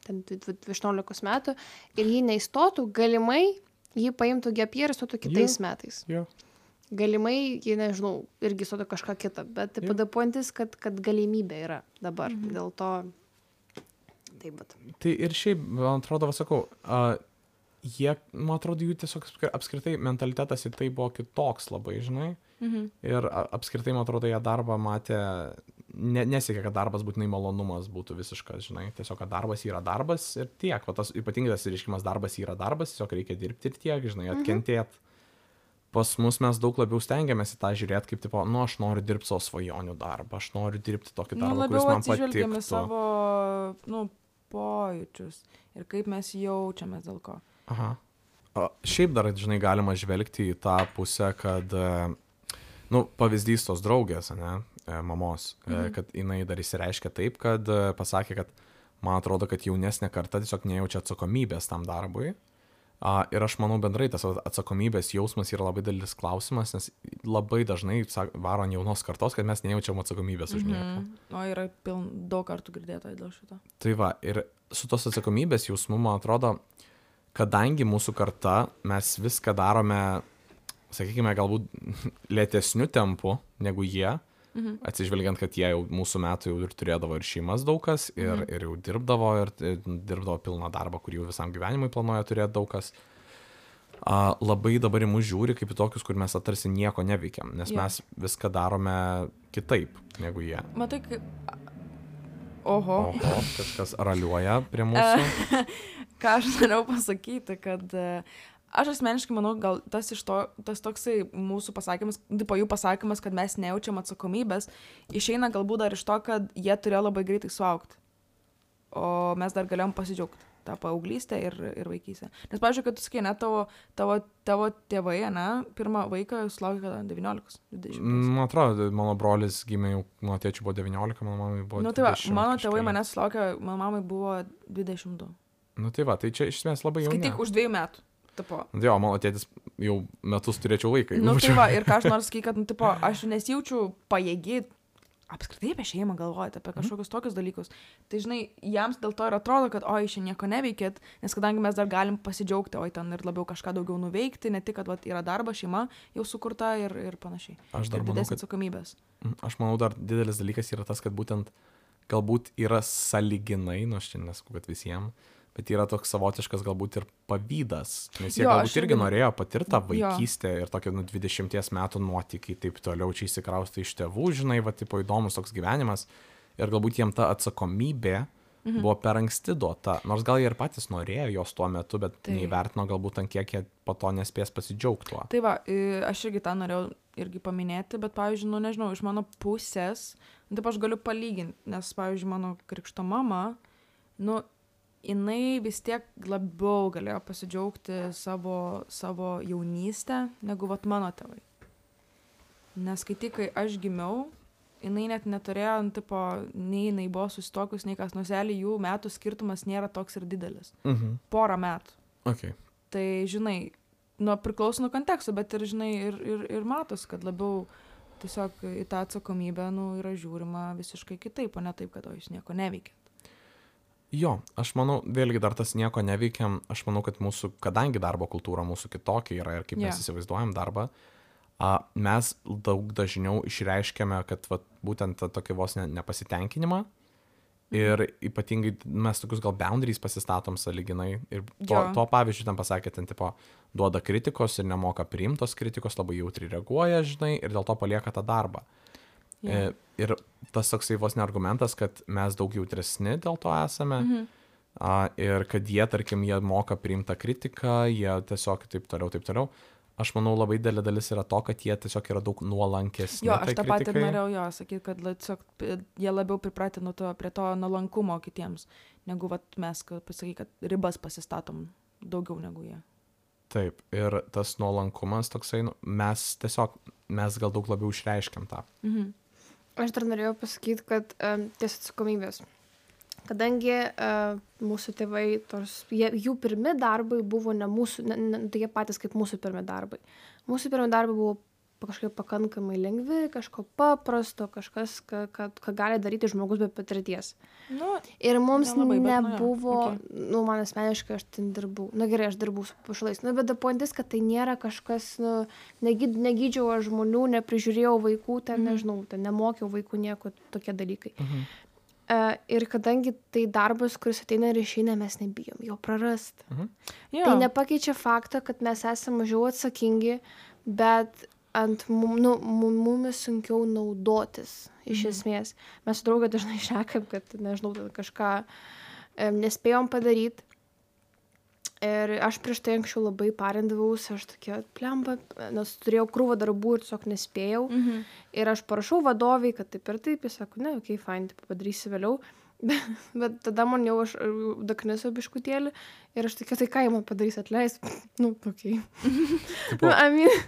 ten aštuoniolikos metų, ir ji neįstotų, galimai ji paimtų gap year ir stotų kitais metais. jo. Galimai, ji, nežinau, irgi stotų kažką kitą, bet Jo. pada pointis, kad, kad galimybė yra dabar. Mhm. Dėl to, taip, bet. Tai ir šiaip, man atrodo, va, sakau, a, jie, man atrodo, jų tiesiog apskri- apskritai mentalitetas į tai buvo kitoks labai, žinai. Mhm. Ir a- apskritai, man atrodo, jie darbą matė, ne, nesiekė, kad darbas būtinai malonumas būtų visiškas, žinai. Tiesiog, kad darbas yra darbas ir tiek. Va, tas ypatingai tas reiškimas darbas yra darbas, tiesiog reikia dirbti ir tiek, žinai, atkentėti. Pas mus mes daug labiau stengiamės į tą žiūrėti, kaip, tipo, nu, aš noriu dirbti savo svajonių darbą, aš noriu dirbti tokį Nu, darbą, kuris labiau man atsižvelgiame patiktų. savo, nu, pojūčius ir kaip mes jaučiamės dėl ko. Aha. O, šiaip dar, žinai, galima žvelgti į tą pusę, kad, e, nu, pavyzdys tos draugės, ne, e, mamos, mhm. kad jinai dar įsireiškia taip, kad e, pasakė, kad man atrodo, kad jaunesnė karta tiesiog nejaučia atsakomybės tam darbui. A, ir aš manau bendrai tas atsakomybės jausmas yra labai didelis klausimas, nes labai dažnai sak- varo ant jaunos kartos, kad mes nejaučiam atsakomybės už nieką. Mhm. O yra piln, daug kartų girdėta dėl šito. Tai va, ir su tos atsakomybės jausmu, man atrodo, kadangi mūsų karta, mes viską darome, sakykime, galbūt lėtesniu tempu negu jie, Mhm. atsižvelgiant, kad jie jau mūsų metų jau ir turėdavo ir šeimas daug kas, ir, Mhm. ir jau dirbdavo, ir ir dirbdavo pilną darbą, kurį jau visam gyvenimui planuoja turėti daug kas. A, labai dabar į mus žiūri kaip į tokius, kur mes tarsi nieko neveikiam, nes Jo. mes viską darome kitaip negu jie. Matai, kaip... Oho. Oho, kažkas raliuoja prie mūsų. Ką aš norėjau pasakyti, kad e, aš asmeniškai manau, gal tas iš to, tas toksai mūsų pasakymas, tipo jų pasakymas, kad mes nejaučiam atsakomybės, išeina galbūt dar iš to, kad jie turėjo labai greitai suaugti. O mes dar galėjom pasidžiaugti tą paauglystę ir, ir vaikystę. Nes, pavyzdžiui, kad tu sakai, ne, tavo, tavo, tavo tėvai, ne, pirmą vaiką sulaukė kada devyniolikos, dvidešimt. Man atrodo, mano brolis gimė jau, mano tėčiui buvo devyniolika, mano mamai buvo Nu tai va, dvidešimt mano tėvai kažkeli. manęs sulaukė, mano mamai buvo dvidešimt du. Nu tai va, tai čia iš esmės labai jauni. Skaityk už dviejų metų. Tipo. Nu, jo, mano tėtis jau metus turėčiau vaiką. Nu tai va, ir ką aš noriu sakyti, kad, nu, tipo, aš nesijaučiu pajėgi apskritai apie šeimą galvoti, apie kažkokius tokius dalykus. Tai, žinai, jiems dėl to ir atrodo, kad oi, šiandien nieko neveikėt, nes kadangi mes dar galim pasidžiaugti, oi, ten ir labiau kažką daugiau nuveikti, ne tik, kad vat, yra darbas, šeima jau sukurta ir, ir panašiai. Aš dar Ir manau, didesnės kad, atsakomybės. aš manau, dar didelis dalykas yra tas, kad būtent galbūt yra saliginai, nu aš čia nesakau, kad visiems, bet yra toks savotiškas galbūt ir pavydas, nes jie Jo, galbūt aš irgi irgi- norėjo patirti tą Jo. vaikystę ir tokį, nu, dvidešimties metų nuotykį, taip toliau čia įsikraustai iš tėvų, žinai, va, tipo įdomus toks gyvenimas ir galbūt jiem ta atsakomybė mhm. buvo per anksti duota, nors gal jie ir patys norėjo jos tuo metu, bet Tai- neįvertino galbūt ant kiek jie po to nespės pasidžiaugti tuo. Tai va, i- aš irgi tą norėjau irgi paminėti, bet, pavyzdžiui, nu, nežinau, iš mano pusės, nu, taip aš galiu palyginti, nes, pavyzdžiui, mano krikšto mama, nu, jinai vis tiek labiau galėjo pasidžiaugti savo, savo jaunystę, negu vat mano tėvai. Nes kai tik, kai aš gimiau, jinai net neturėjo, nu, tipo, nei jinai buvo susitokus, nei kas nuselį, jų metų skirtumas nėra toks ir didelis. Mhm. Porą metų. Okay. Tai, žinai, nu, priklauso nuo konteksto, bet ir, žinai, ir, ir, ir matos, kad labiau tiesiog į tą atsakomybę, nu, yra žiūrima visiškai kitaip, o ne taip, kad o jūs nieko neveikėt. Jo, aš manau, vėlgi dar tas nieko neveikiam, aš manau, kad mūsų, kadangi darbo kultūra mūsų kitokia yra ir kaip Jo. mes įsivaizduojam darbą, a, mes daug dažniau išreiškiame, kad vat, būtent tą tokį vos ne, nepasitenkinimą ir ypatingai mes tokius gal boundaries pasistatom sąlyginai ir to, Jo. to pavyzdžiui ten pasakė, ten tipo duoda kritikos ir nemoka priimtos kritikos, labai jautri reaguoja, žinai, ir dėl to palieka tą darbą. Jo. E, ir tas toksai vos ne argumentas, kad mes daug jautresni dėl to esame. Mhm. A, ir kad jie, tarkim, jie moka priimtą kritiką, jie tiesiog taip toliau, taip toliau. Aš manau, labai didelė dalis yra to, kad jie tiesiog yra daug nuolankesni. Jo, aš tai tą patį kritikai. norėjau jo sakyti, kad tiesiog jie labiau pripratę nuo to, prie to nuolankumo kitiems, negu vat, mes, kad pasakai, kad ribas pasistatom daugiau negu jie. Taip, ir tas nuolankumas toksai, nu, mes tiesiog, mes gal daug labiau išreiškiam tą. Mhm. Aš dar norėjau pasakyti, kad um, ties atsakomybės. Kadangi uh, mūsų tėvai, tos, jie, jų pirmi darbai buvo ne mūsų, ne, ne, tokie patys kaip mūsų pirmi darbai. Mūsų pirmi darbai buvo kažkaip pakankamai lengvi, kažko paprasto, kažkas, ką, ką, ką gali daryti žmogus be patirties. Nu, ir mums nelabai, bet, nebuvo, nu, okay. nu, man asmeniškai aš ten dirbau, na gerai, aš dirbau su pašalais, nu, bet pointis, kad tai nėra kažkas, nu, negyd, negydžiau aš žmonių, neprižiūrėjau vaikų, ten, mhm. nežinau, ten nemokiau vaikų nieko, tokie dalykai. Mhm. Uh, ir kadangi tai darbas, kuris ateina ir išeina, mes nebijom jo prarast. Mhm. Tai nepakeičia fakto, kad mes esame mažiau atsakingi, bet ant mum, nu, mum, mumis sunkiau naudotis iš mhm. esmės. Mes su draugė dažnai šnekam, kad, nežinau, kažką um, nespėjom padaryti. Ir aš prieš tai anksčiau labai parindavausi, aš tokia plemba, nes turėjau krūvą darbų ir tiesiog nespėjau. Mhm. Ir aš parašau vadoviai, kad taip ir taip, jis sako, ne, okei, okay, fine, taip padarysi vėliau. Bet, bet tada man jau aš daknisu biškutėlį ir aš tokia, tai ką jie man padarys, atleis? Nu, okei. Okay. nu, I mean.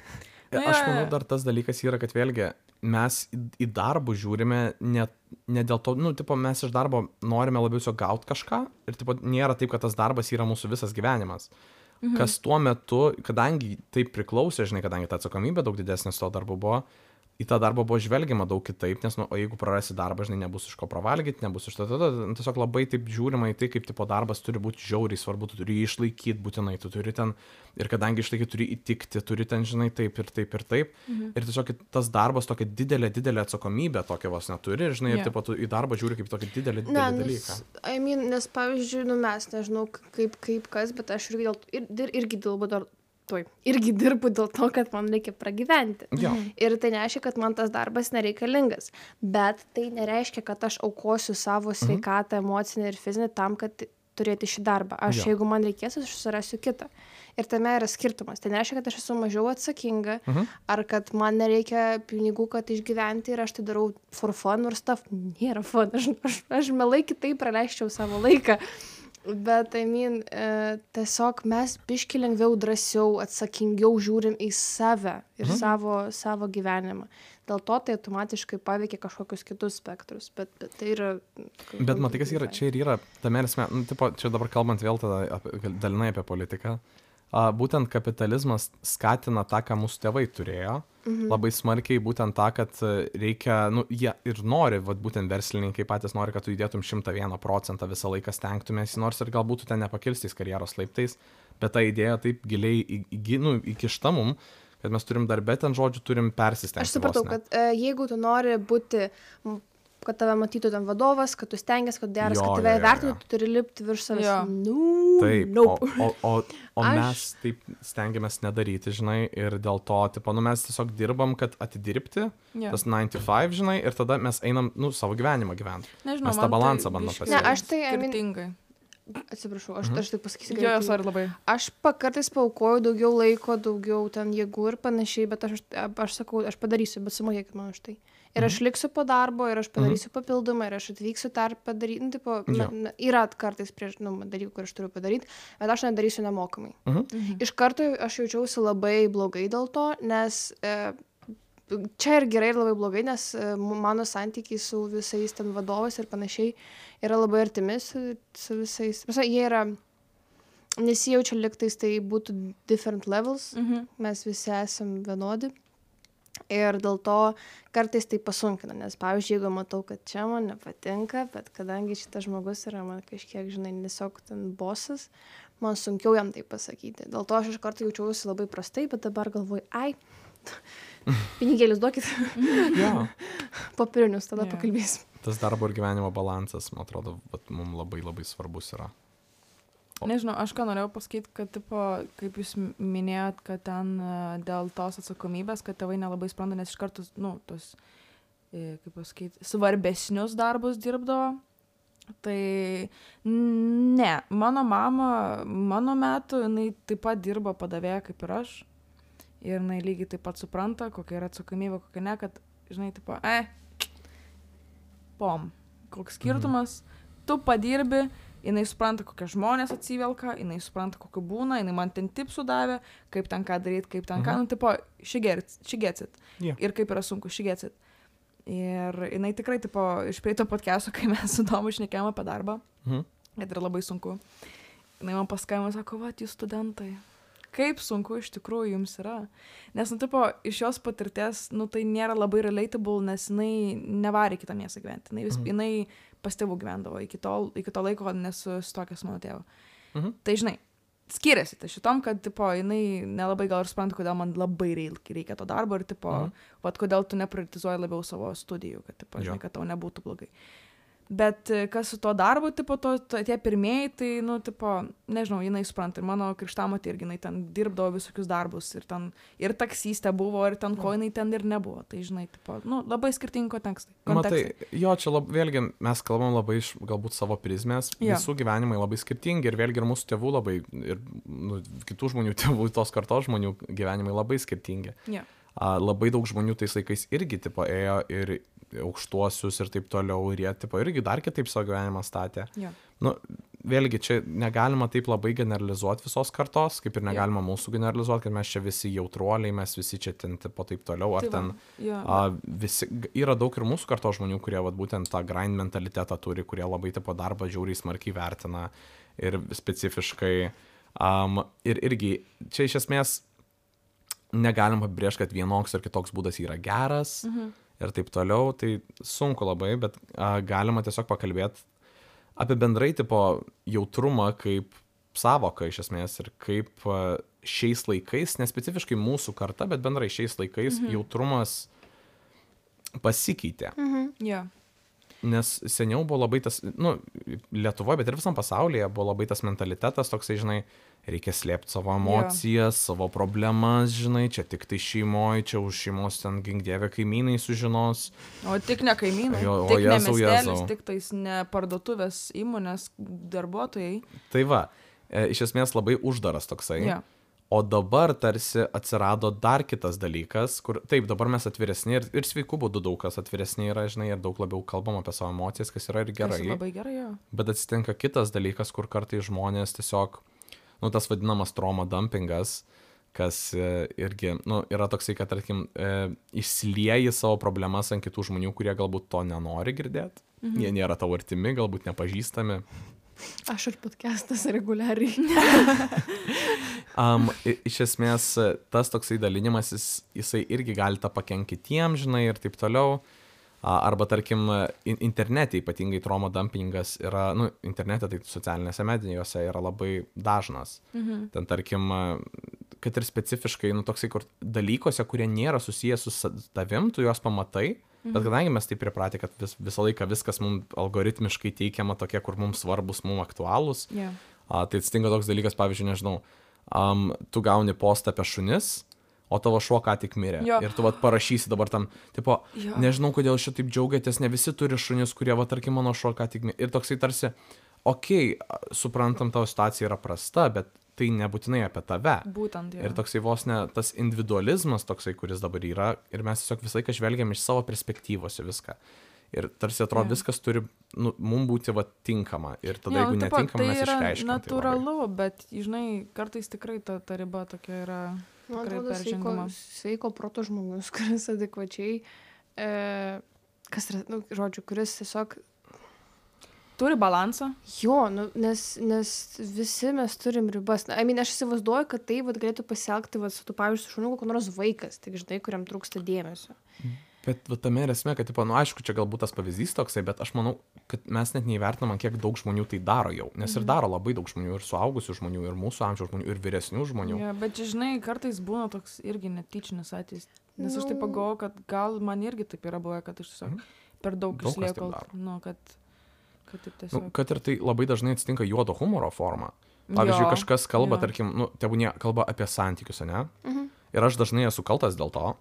Aš manau, dar tas dalykas yra, kad vėlgi mes į, į darbų žiūrime ne, ne dėl to, nu, tipo, mes iš darbo norime labiau tiesiog gauti kažką ir, tipo, nėra taip, kad tas darbas yra mūsų visas gyvenimas. Mhm. Kas tuo metu, kadangi taip priklausė, žinai, kadangi ta atsakomybė daug didesnė to darbo buvo, į tą darbą buvo žvelgiama daug kitaip, nes, nu, o jeigu prarasi darbą, žinai, nebus iš ko pravalgyti, nebus iš to, tada, tiesiog labai taip žiūrima į tai, kaip tipo darbas turi būti žiauriai svarbu, tu turi jį išlaikyti būtinai, tu turi ten, ir kadangi išlaikyti turi įtikti, turi ten, žinai, taip ir taip ir taip, mhm. ir tiesiog tas darbas tokia didelė, didelė atsakomybė tokia vos neturi, ir, žinai, yeah. ir tipo tu į darbą žiūri kaip tokį didelį, didelį ne, dalyką. I mean, nes, pavyzdžiui, nu, mes, nežinau, kaip, kaip kas, bet aš irgi, dėl, ir, irgi dirbu dar Tuoj. Irgi dirbu dėl to, kad man reikia pragyventi. Jo. Ir tai nereiškia, kad man tas darbas nereikalingas. Bet tai nereiškia, kad aš aukosiu savo sveikatą, mhm. emocinę ir fizinę tam, kad turėti šį darbą. Aš, jo. Jeigu man reikės, aš susirasiu kitą. Ir tame yra skirtumas. Tai nereiškia, kad aš esu mažiau atsakinga, mhm. ar kad man nereikia pinigų, kad išgyventi ir aš tai darau for fun ir stuff. Nėra fun. Aš, aš, aš mielai kitaip praleisčiau savo laiką. Bet, I mean, e, tiesiog mes biški lengviau, drąsiau, atsakingiau žiūrim į save ir mhm. savo, savo gyvenimą. Dėl to tai automatiškai paveikia kažkokius kitus spektrus, bet, bet tai yra... Bet matai, kas yra, čia ir yra, tame esmė, nu, tipo, čia dabar kalbant vėl tada apie, dalinai apie politiką, a, būtent kapitalizmas skatina tą, ką mūsų tėvai turėjo, mhm. labai smarkiai būtent tą, kad reikia, nu, jie ir nori, vat, būtent verslininkai patys nori, kad tu įdėtum šimtą vieną procentą visą laiką stengtumės, nors ir galbūt tu ten nepakilstais karjeros laiptais, bet ta idėja taip giliai į, į, nu, įkišta mum, kad mes turim darbę ten žodžių, turim persistengti. Aš supratau, kad e, jeigu tu nori būti, kad tave matytų ten vadovas, kad tu stengiasi, kad geras, jo, kad tave vertintų, tu turi lipti virš savęs. No, taip, nope. o, o, o, o Aš... mes taip stengiamės nedaryti, žinai, ir dėl to, tipo, nu, mes tiesiog dirbam, kad atidirbti, yeah. tas nine to five, žinai, ir tada mes einam, nu, savo gyvenimą gyventi. Nežinau, mes tą balansą tai bandom biškai- pasiekti. Ne, aš tai, I mean, Skirtingai. atsiprašau, aš, Mhm. aš tai pasakysiu. Jo, greitai. jos ar labai. Aš pa- kartais paaukoju daugiau laiko, daugiau ten jėgų ir panašiai, bet aš, aš sakau, aš padarysiu, bet sumokėkit man už tai. Ir aš liksiu po darbo, ir aš padarysiu papildomą, ir aš atvyksiu dar padaryti. Nu, tipo, Jo. na, yra kartais prieš, nu, dalykų, kur aš turiu padaryti, bet aš nedarysiu nemokamai. Mhm. Mhm. Iš karto aš jaučiausi labai blogai dėl to, nes e, čia ir gerai, ir labai blogai, nes e, mano santykiai su visais ten vadovais ir panašiai yra labai artimi su, su visais. Visa, jie yra, nesijaučia liktais, tai būtų different levels, Mhm. mes visi esam vienodi. Ir dėl to kartais tai pasunkina, nes, pavyzdžiui, jeigu matau, kad čia man nepatinka, bet kadangi šitas žmogus yra man kažkiek, žinai, tiesiog ten bosas, man sunkiau jam tai pasakyti. Dėl to aš iš karto jaučiausi labai prastai, bet dabar galvoju, ai, pinigėlius duokit, Jo. popierinius, tada Jo. pakalbėsim. Tas darbo ir gyvenimo balansas, man atrodo, vat, mums labai labai svarbus yra. O- Nežinau, aš ką norėjau pasakyti, kad, tipo, kaip jūs m- minėjot, kad ten e, dėl tos atsakomybės, kad tėvai nelabai supranta, nes iš karto, nu, tos kaip pasakyti, svarbesnius darbus dirbdavo. Tai ne, mano mama, mano metu, jinai taip pat dirbo padavėja kaip ir aš. Ir jinai lygiai taip pat supranta, kokia yra atsakomybė, kokia ne, kad, žinai, tipo, eh, pom, koks skirtumas, mhm. tu padirbi, jinai supranta, kokie žmonės atsivelka, jinai supranta, kokiu būna, jinai man ten tipsų davė, kaip ten ką daryti, kaip ten mhm. ką, nu, tipo, she gets, she gets it. Yeah. Ir kaip yra sunku, she gets it. Ir jinai tikrai, tipo, iš prieito podcast'o, kai mes su Tomu šnekėjome apie darbą, mhm. kad yra labai sunku. Jinai man paskambino, sako, va, jūs studentai, kaip sunku iš tikrųjų jums yra. Nes, nu, tipo, iš jos patirties, nu, tai nėra labai relatable, nes jinai nevarė kitą miestą gyventi. Jinai, vis, mhm. jinai pas tėvų gyvendavo iki, tol, iki to laiko, nes susituokė su mano tėvu. Mhm. Tai, žinai, skiriasi tai šitom, kad, tipo, jinai nelabai gal ir supranta, kodėl man labai reikia to darbo ir, tipo, mhm. vat, kodėl tu neprioritizuoji labiau savo studijų, kad, tipo, žinai, kad tau nebūtų blogai. Bet kas su to darbu, tipo, to, to, tie pirmieji, tai, nu, tipo, nežinau, jinai supranta. Ir mano krikštamotė irgi, jinai ten dirbdavo visokius darbus. Ir ten, ir taksistė buvo, ir ten ko jinai ten ir nebuvo. Tai, žinai, tipo, nu, labai skirtingi kontekstai. Matai, jo, čia lab, vėlgi mes kalbam labai iš galbūt savo prizmės. Ja. Visų gyvenimai labai skirtingi. Ir vėlgi ir mūsų tėvų labai, ir nu, kitų žmonių tėvų, tos kartos žmonių gyvenimai labai skirtingi. Ja. A, labai daug žmonių tais laikais irgi, tipo, ėjo ir aukštuosius ir taip toliau, ir jie, tipo, irgi dar kitaip savo gyvenimą statė. Ja. Nu, vėlgi, čia negalima taip labai generalizuoti visos kartos, kaip ir negalima ja. Mūsų generalizuoti, kad mes čia visi jautruoliai, mes visi čia ten, tipo, taip toliau, ar tai ten ja. a, visi, yra daug ir mūsų kartos žmonių, kurie, vat, būtent tą grind mentalitetą turi, kurie labai, tipo, darbą žiauriai smarkiai vertina ir specifiškai. Um, ir irgi, čia iš esmės negalim apibrėžti, kad vienoks ir kitoks būdas yra geras. Mhm. Ir taip toliau, tai sunku labai, bet a, galima tiesiog pakalbėti apie bendrai tipo jautrumą kaip savoką iš esmės ir kaip a, šiais laikais, nespecifiškai mūsų karta, bet bendrai šiais laikais mhm. jautrumas pasikeitė. Mhm. Yeah. Nes seniau buvo labai tas, nu, Lietuvoje, bet ir visam pasaulyje buvo labai tas mentalitetas toksai, žinai, reikia slėpti savo emocijas, yeah. savo problemas, žinai, čia tik tai šeimoje, čia už šeimos ten gingdėvė kaimynai sužinos. O tik ne kaimynai, jo, tik jėzau, ne miestelis, tik tais ne parduotuvės įmonės darbuotojai. Tai va, e, iš esmės labai uždaras toksai. Yeah. O dabar tarsi atsirado dar kitas dalykas, kur taip, dabar mes atviresni ir, ir sveikų būdų daug kas atviresni yra, žinai, ir daug labiau kalbam apie savo emocijas, kas yra ir gerai. Tas labai gerai, jo. Bet atsitinka kitas dalykas, kur kartai žmonės tiesiog, nu, tas vadinamas trauma dumpingas, kas e, irgi, nu, yra toksai, kad, tarkim, e, išsilieji savo problemas ant kitų žmonių, kurie galbūt to nenori girdėti. Mhm. Jie nėra tavo artimi, galbūt nepažįstami. Aš ir podcastas reguliariai. um, iš esmės, tas toksai dalinimas, jis, jisai irgi gali tą pakenkti kitiems, žinai, ir taip toliau. Arba, tarkim, internete ypatingai trauma dumpingas yra, nu, internete, tai socialinėse medijose yra labai dažnas. Mhm. Ten, tarkim, kad ir specifiškai, nu, toksai, kur dalykose, kurie nėra susijęs su tavim, tu juos pamatai. Bet kadangi mes taip pripratę, kad vis, visą laiką viskas mums algoritmiškai teikiama tokie, kur mums svarbus, mums aktualūs, yeah. a, tai atsitinka toks dalykas, pavyzdžiui, nežinau, um, tu gauni postą apie šunis, o tavo šuo ką tik mirė. Jo. Ir tu vat parašysi dabar tam, tipo, jo. Nežinau, kodėl šitaip džiaugiatės, ne visi turi šunis, kurie, va, tarkim, mano šuo ką tik mirė. Ir toksai tarsi, okei, okay, suprantam, tavo situacija yra prasta, bet tai nebūtinai apie tave. Būtent, jo. Ir toksai vos ne tas individualizmas toksai, kuris dabar yra, ir mes tiesiog visą laiką žvelgiam iš savo perspektyvos į viską. Ir tarsi atrodo, yeah. viskas turi, nu, mums būti va tinkama. Ir tada, jo, jeigu nu, netinkama, tai mes išreiškiam. Tai yra natūralu, tai bet, žinai, kartais tikrai ta, ta riba tokia yra man tikrai atrodo, peržengama. Sveiko, sveiko proto žmogus, kuris adekvačiai, e, kas yra, nu, žodžiu, kuris tiesiog turi balansą. Jo, nu, nes, nes visi mes turim ribas. Na, I mean, aš įsivaizduoju, kad tai vat, galėtų pasielgti, vat, su tu, pavyzdžiui, su šuniu kokio nors vaikas, tik žinai, kuriam trūksta dėmesio. Bet va, tame ir esmė, kad, tipo, nu, aišku, čia galbūt tas pavyzdys toksai, bet aš manau, kad mes net neįvertinam, kiek daug žmonių tai daro jau. Nes mhm. ir daro labai daug žmonių, ir suaugusių žmonių, ir mūsų amžiaus žmonių, ir vyresnių žmonių. Ja, bet, žinai, kartais būna toks irgi netyčinis atvejis. Nes no. aš taip pagalvoju, kad gal man irgi taip yra buvę, kad aš tiesiog mhm. per daug, daug išliekau. Nu, kad... Kad, tiesiog... nu, kad ir tai labai dažnai atsitinka juodo humoro forma. Pavyzdžiui, jo, kažkas kalba, jo. tarkim, nu, tebūnie kalba apie santykius, ne? Mhm. Ir aš dažnai esu kaltas dėl to.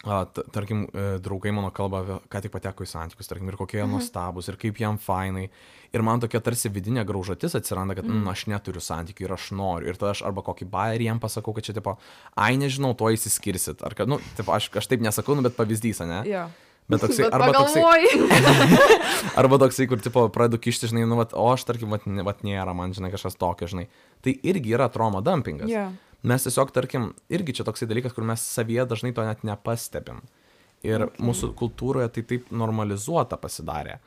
a, t- tarkim, e, draugai mano kalba, apie- ką tik pateko į santykius, tarkim, ir kokie jie nuostabus, ir kaip jam fainai. Ir man tokia tarsi vidinė graužatis atsiranda, kad mm, aš neturiu santykių ir aš noriu. Ir tada aš arba kokį bairį jam pasakau, kad čia, tipo, ai, nežinau, to įsiskirsit. Ar kad, nu, tipo, aš, aš taip nesakau, nu, bet pavyzdys, ne? Jo. Bet toksai, Bet arba toksai, pagalvoji. arba toksai, kur, tipo, pradedu kišti, žinai, nu, vat, o aš, tarkim, vat, ne- vat nėra, man, žinai, kažkas tokio, žinai. Tai irgi yra trauma dumpingas. Jo. Mes tiesiog, tarkim, irgi čia toksai dalykas, kur mes savyje dažnai to net nepastebim. Ir okay. mūsų kultūroje tai taip normalizuota pasidarė.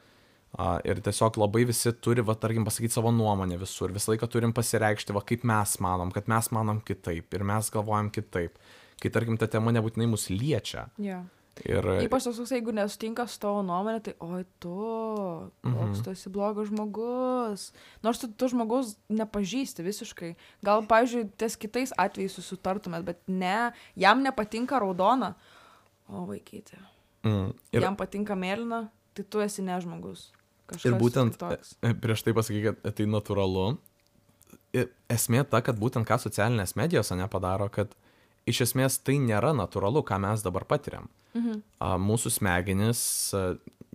Uh, ir tiesiog labai visi turi, va, tarkim, pasakyti savo nuomonę visur. Visą laiką turim pasireikšti, va, kaip mes manom, kad mes manom kitaip ir mes galvojam kitaip. Kai, tarkim, ta tema nebūtinai mus liečia. Jo. Ir Ypač tas, jeigu nesutinka su tavo nuomonė, tai oi tu, koks tu esi blogas žmogus. Nors tu, tu žmogus nepažįsti visiškai. Gal, pavyzdžiui, ties kitais atvejais susitartumėt, bet ne, jam nepatinka raudona. O vaikyti. mm, ir, Jam patinka mėlyna, tai tu esi ne žmogus. Kažkas ir būtent kitoks. e, prieš tai pasakai, kad tai natūralu. Ir esmė ta, kad būtent ką socialinės medijos nepadaro, kad iš esmės tai nėra natūralu, ką mes dabar patiriam. Mhm. A, mūsų smegenys, a,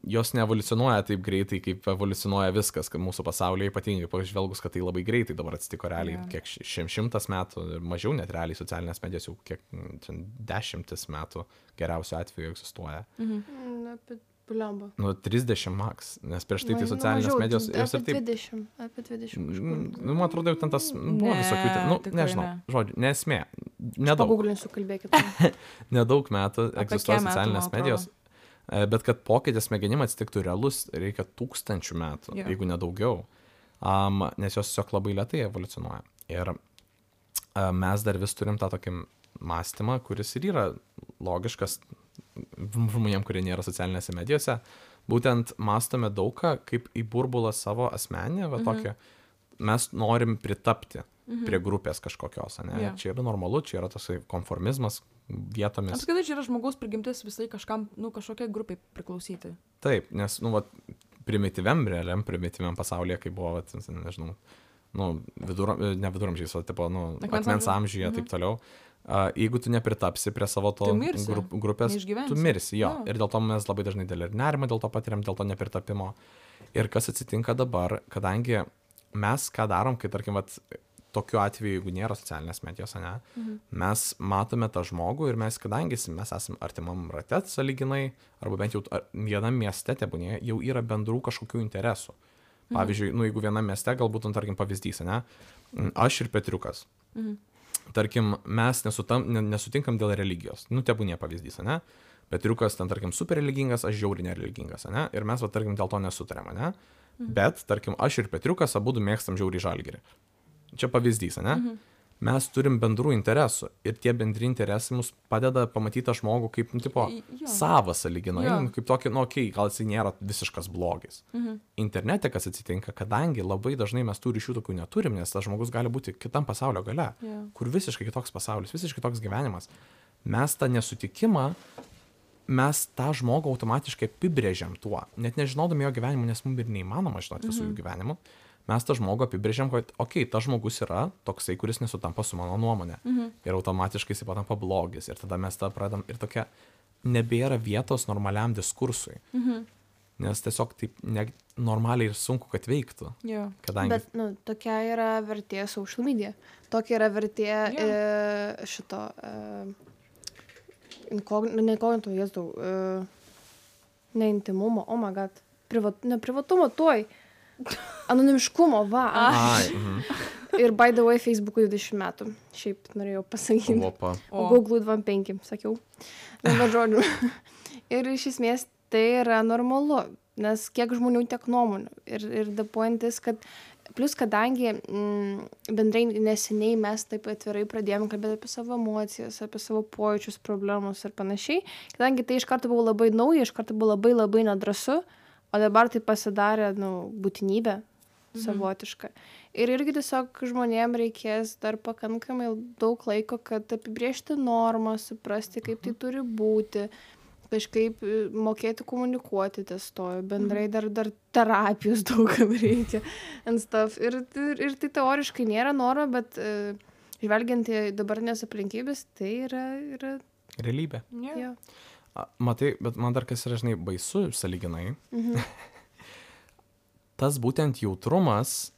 jos neevoliucionuoja taip greitai, kaip evoliucionuoja viskas, kad mūsų pasaulyje ypatingai pažvelgus, kad tai labai greitai dabar atsitiko realiai, Jo. kiek ši- šim, šimtas metų ir mažiau net realiai socialinės medijos jau kiek mm, čia dešimtis metų geriausiu atveju egzistuoja. Mhm. Na, apie bliamba. Nu, trisdešimt max, nes prieš tai tai Ma- socialinės mažiau, medijos jos ir Apie taip. dvidešimt. Apie dvidešimt kažkur. Mm, Nu, man atrodo, jau ten tas buvo Ne, visokių, ten, nu, tikrai nežinau, ne. žodžiu, nesmė, nedaug, Paguglinsiu, kalbėkit. nedaug metų Apie egzistuoja kiek metų, socialinės man medijos. E, Bet kad pokytis smegenim atsitiktų realus, reikia tūkstančių metų, Jo. jeigu nedaugiau, um, nes jos tiesiog labai lietai evoliucionuoja. Ir uh, mes dar vis turim tą tokį mąstymą, kuris ir yra logiškas žmonėm, kurie nėra socialinėse medijose. Būtent mąstome daugą kaip į burbulą savo asmenį, va Mhm. tokią. Mes norim pritapti Mhm. prie grupės kažkokios, ne? Jo. Čia yra normalu, čia yra tasai konformizmas vietomis. Apskritai, čia yra žmogaus prigimtis visai kažkam, nu, kažkokiai grupiai priklausyti. Taip, nes, nu, vat, primityviam, realiam, primityviam pasaulyje, kai buvo, vat, nežinau, nu, vidur, ne viduramžiais, o, tipo, nu, Akmens akmens amžiuje. amžiuje, Mhm. taip toliau. Uh, jeigu tu nepritapsi prie savo to Tu mirsi, grup, grupės, neišgyvensi. tu mirsi, jo. Jo. Ir dėl to mes labai dažnai dėl ir nerimą, dėl to patiriam, dėl to nepritapimo. Ir kas atsitinka dabar, kadangi mes ką darom, kai, tarkim, vat, tokiu atveju, jeigu nėra socialinės medijos, ne, Mhm. mes matome tą žmogų ir mes, kadangi mes esame artimam rate sąlyginai, arba bent jau ar- vienam mieste tebūnė, jau yra bendrų kažkokių interesų. Pavyzdžiui, nu, jeigu vienam mieste, galbūt, nu, tarkim, pavyzdys, ne, aš ir Petriukas. Mhm. Tarkim, mes nesutam, ne, nesutinkam dėl religijos. Nu, tebūnė pavyzdys, ne. Petriukas ten, tarkim, super religingas, aš žiauriai nereligingas, ne. Ir mes, va, tarkim, dėl to nesutarėm, ne. Bet, tarkim, aš ir Petriukas abudu mėgstam žiauriai Žalgirį. Čia pavyzdys, ne? Mhm. Mes turim bendrų interesų ir tie bendri interesai mus padeda pamatyti tą žmogų kaip, nu, tipo, Jo. savą sąlyginai, Jo. nu, kaip tokį, nu, okei, okay, gal jis nėra visiškas blogis. Mhm. Internete kas atsitinka, kadangi labai dažnai mes tų ryšių tokių neturim, nes tas žmogus gali būti kitam pasaulio gale, Jo. kur visiškai kitoks pasaulis, visiškai kitoks gyvenimas. Mes tą nesutikimą, mes tą žmogų automatiškai apibrėžiam tuo, net nežinodami jo gyvenimo, nes mums ir neįmanoma žinoti visų jų gyvenimų. Mes tą žmogų apibrėžiam, kad, okei, okay, tas žmogus yra toksai, kuris nesutampa su mano nuomonė. Mhm. Ir automatiškai jis patampa blogis. Ir tada mes tą pradam ir tokia nebėra vietos normaliam diskursui. Mhm. Nes tiesiog taip ne, normaliai ir sunku, kad veiktų. Jo. Kadangi... Bet, nu, tokia yra vertė social media. Tokia yra vertė Jo. e, šito... E, inkog- ne inkognito, jėzdau. E, ne intimumo, oh my god. Privat, ne privatumo, tuoj. Anonimiškumo, va. Ai, mhm. Ir by the way, Facebook'ui dvidešimt metų. Šiaip norėjau pasakyti. Opa. O O. Google'ui dvidešimt penki, sakiau. Na, bet žodžiu. Ir iš esmės tai yra normalu, nes kiek žmonių, tiek nuomonių. Ir, ir the point is, kad plus kadangi mm, bendrai neseniai mes taip atvirai pradėjome kalbėti apie savo emocijas, apie savo pojūčius, problemus ir panašiai, kadangi tai iš karto buvo labai nauja, iš karto buvo labai labai nedrasu, o dabar tai pasidarė, nu, būtinybė savotiška. Ir irgi tiesiog žmonėm reikės dar pakankamai daug laiko, kad apibriežti normą, suprasti, kaip tai turi būti, kažkaip e, mokėti komunikuoti ties to, bendrai dar, dar terapijos daugam reikia and stuff. Ir, ir, ir tai teoriškai nėra noro, bet e, žvelgiant į dabartinės aplinkybės, tai yra, yra realybė. Jo. Jo. A, Matai, bet man dar kas yra, žinai, baisu sąlyginai. Mhm. Tas būtent jautrumas,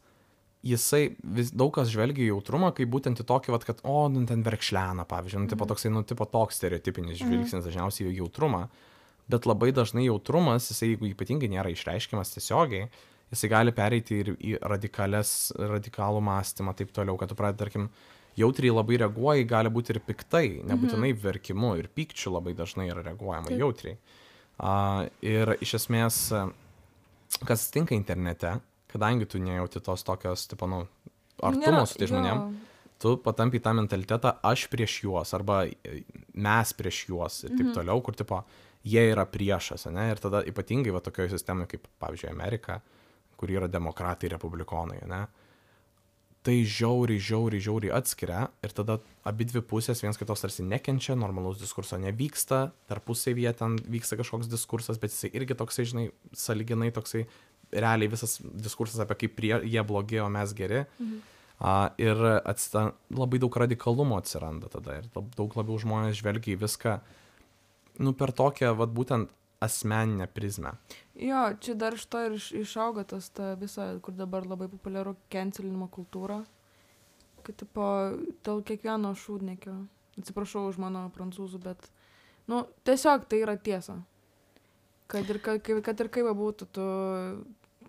jisai, vis, daug kas žvelgia į jautrumą, kaip būtent į tokį, vat, kad, o, nu, ten verkšlena, pavyzdžiui, nu, tipo toksai, nu, tipo toks stereotipinis žvilgsnis dažniausiai į jautrumą, bet labai dažnai jautrumas, jisai, jeigu ypatingai nėra išreiškiamas tiesiogiai, jisai gali pereiti ir į radikales, radikalų mąstymą, taip toliau, kad tu pradedi, tarkim, jautriai labai reaguoji, gali būti ir piktai, nebūtinai verkimu, ir pykčiu labai dažnai yra reaguojama Taip. jautriai. A, ir iš esmės, kas tinka internete, kadangi tu nejauti tos tokios, tipo, nu, artumo Nėra- su tai jo. žmonėm, tu patampi tą mentalitetą aš prieš juos, arba mes prieš juos ir taip toliau, kur, tipo, jie yra priešas, ne? Ir tada ypatingai va tokioje sistemoje, kaip, pavyzdžiui, Amerika, kur yra demokratai, republikonai, ne? Tai žiauriai, žiauriai, žiauriai atskiria ir tada abi dvi pusės viens kitos tarsi nekenčia, normalaus diskurso nevyksta, tarpusavyje ten vyksta kažkoks diskursas, bet jisai irgi toksai, žinai, sąlyginai toksai, realiai visas diskursas apie kaip prie, jie blogi, o mes geri. Mhm. A, ir atsita, labai daug radikalumo atsiranda tada ir daug labiau žmonės žvelgia į viską, nu, per tokią, vat, būtent asmeninę prizmę. Jo, čia dar iš to ir iš- išauga tas ta visa, kur dabar labai populiaru cancelinimo kultūra. Kad, tipo, dėl kiekvieno šūdnekio. Atsiprašau už mano prancūzų, bet, nu, tiesiog tai yra tiesa. Kad ir, ka- kad, kad ir kaip būtų, tu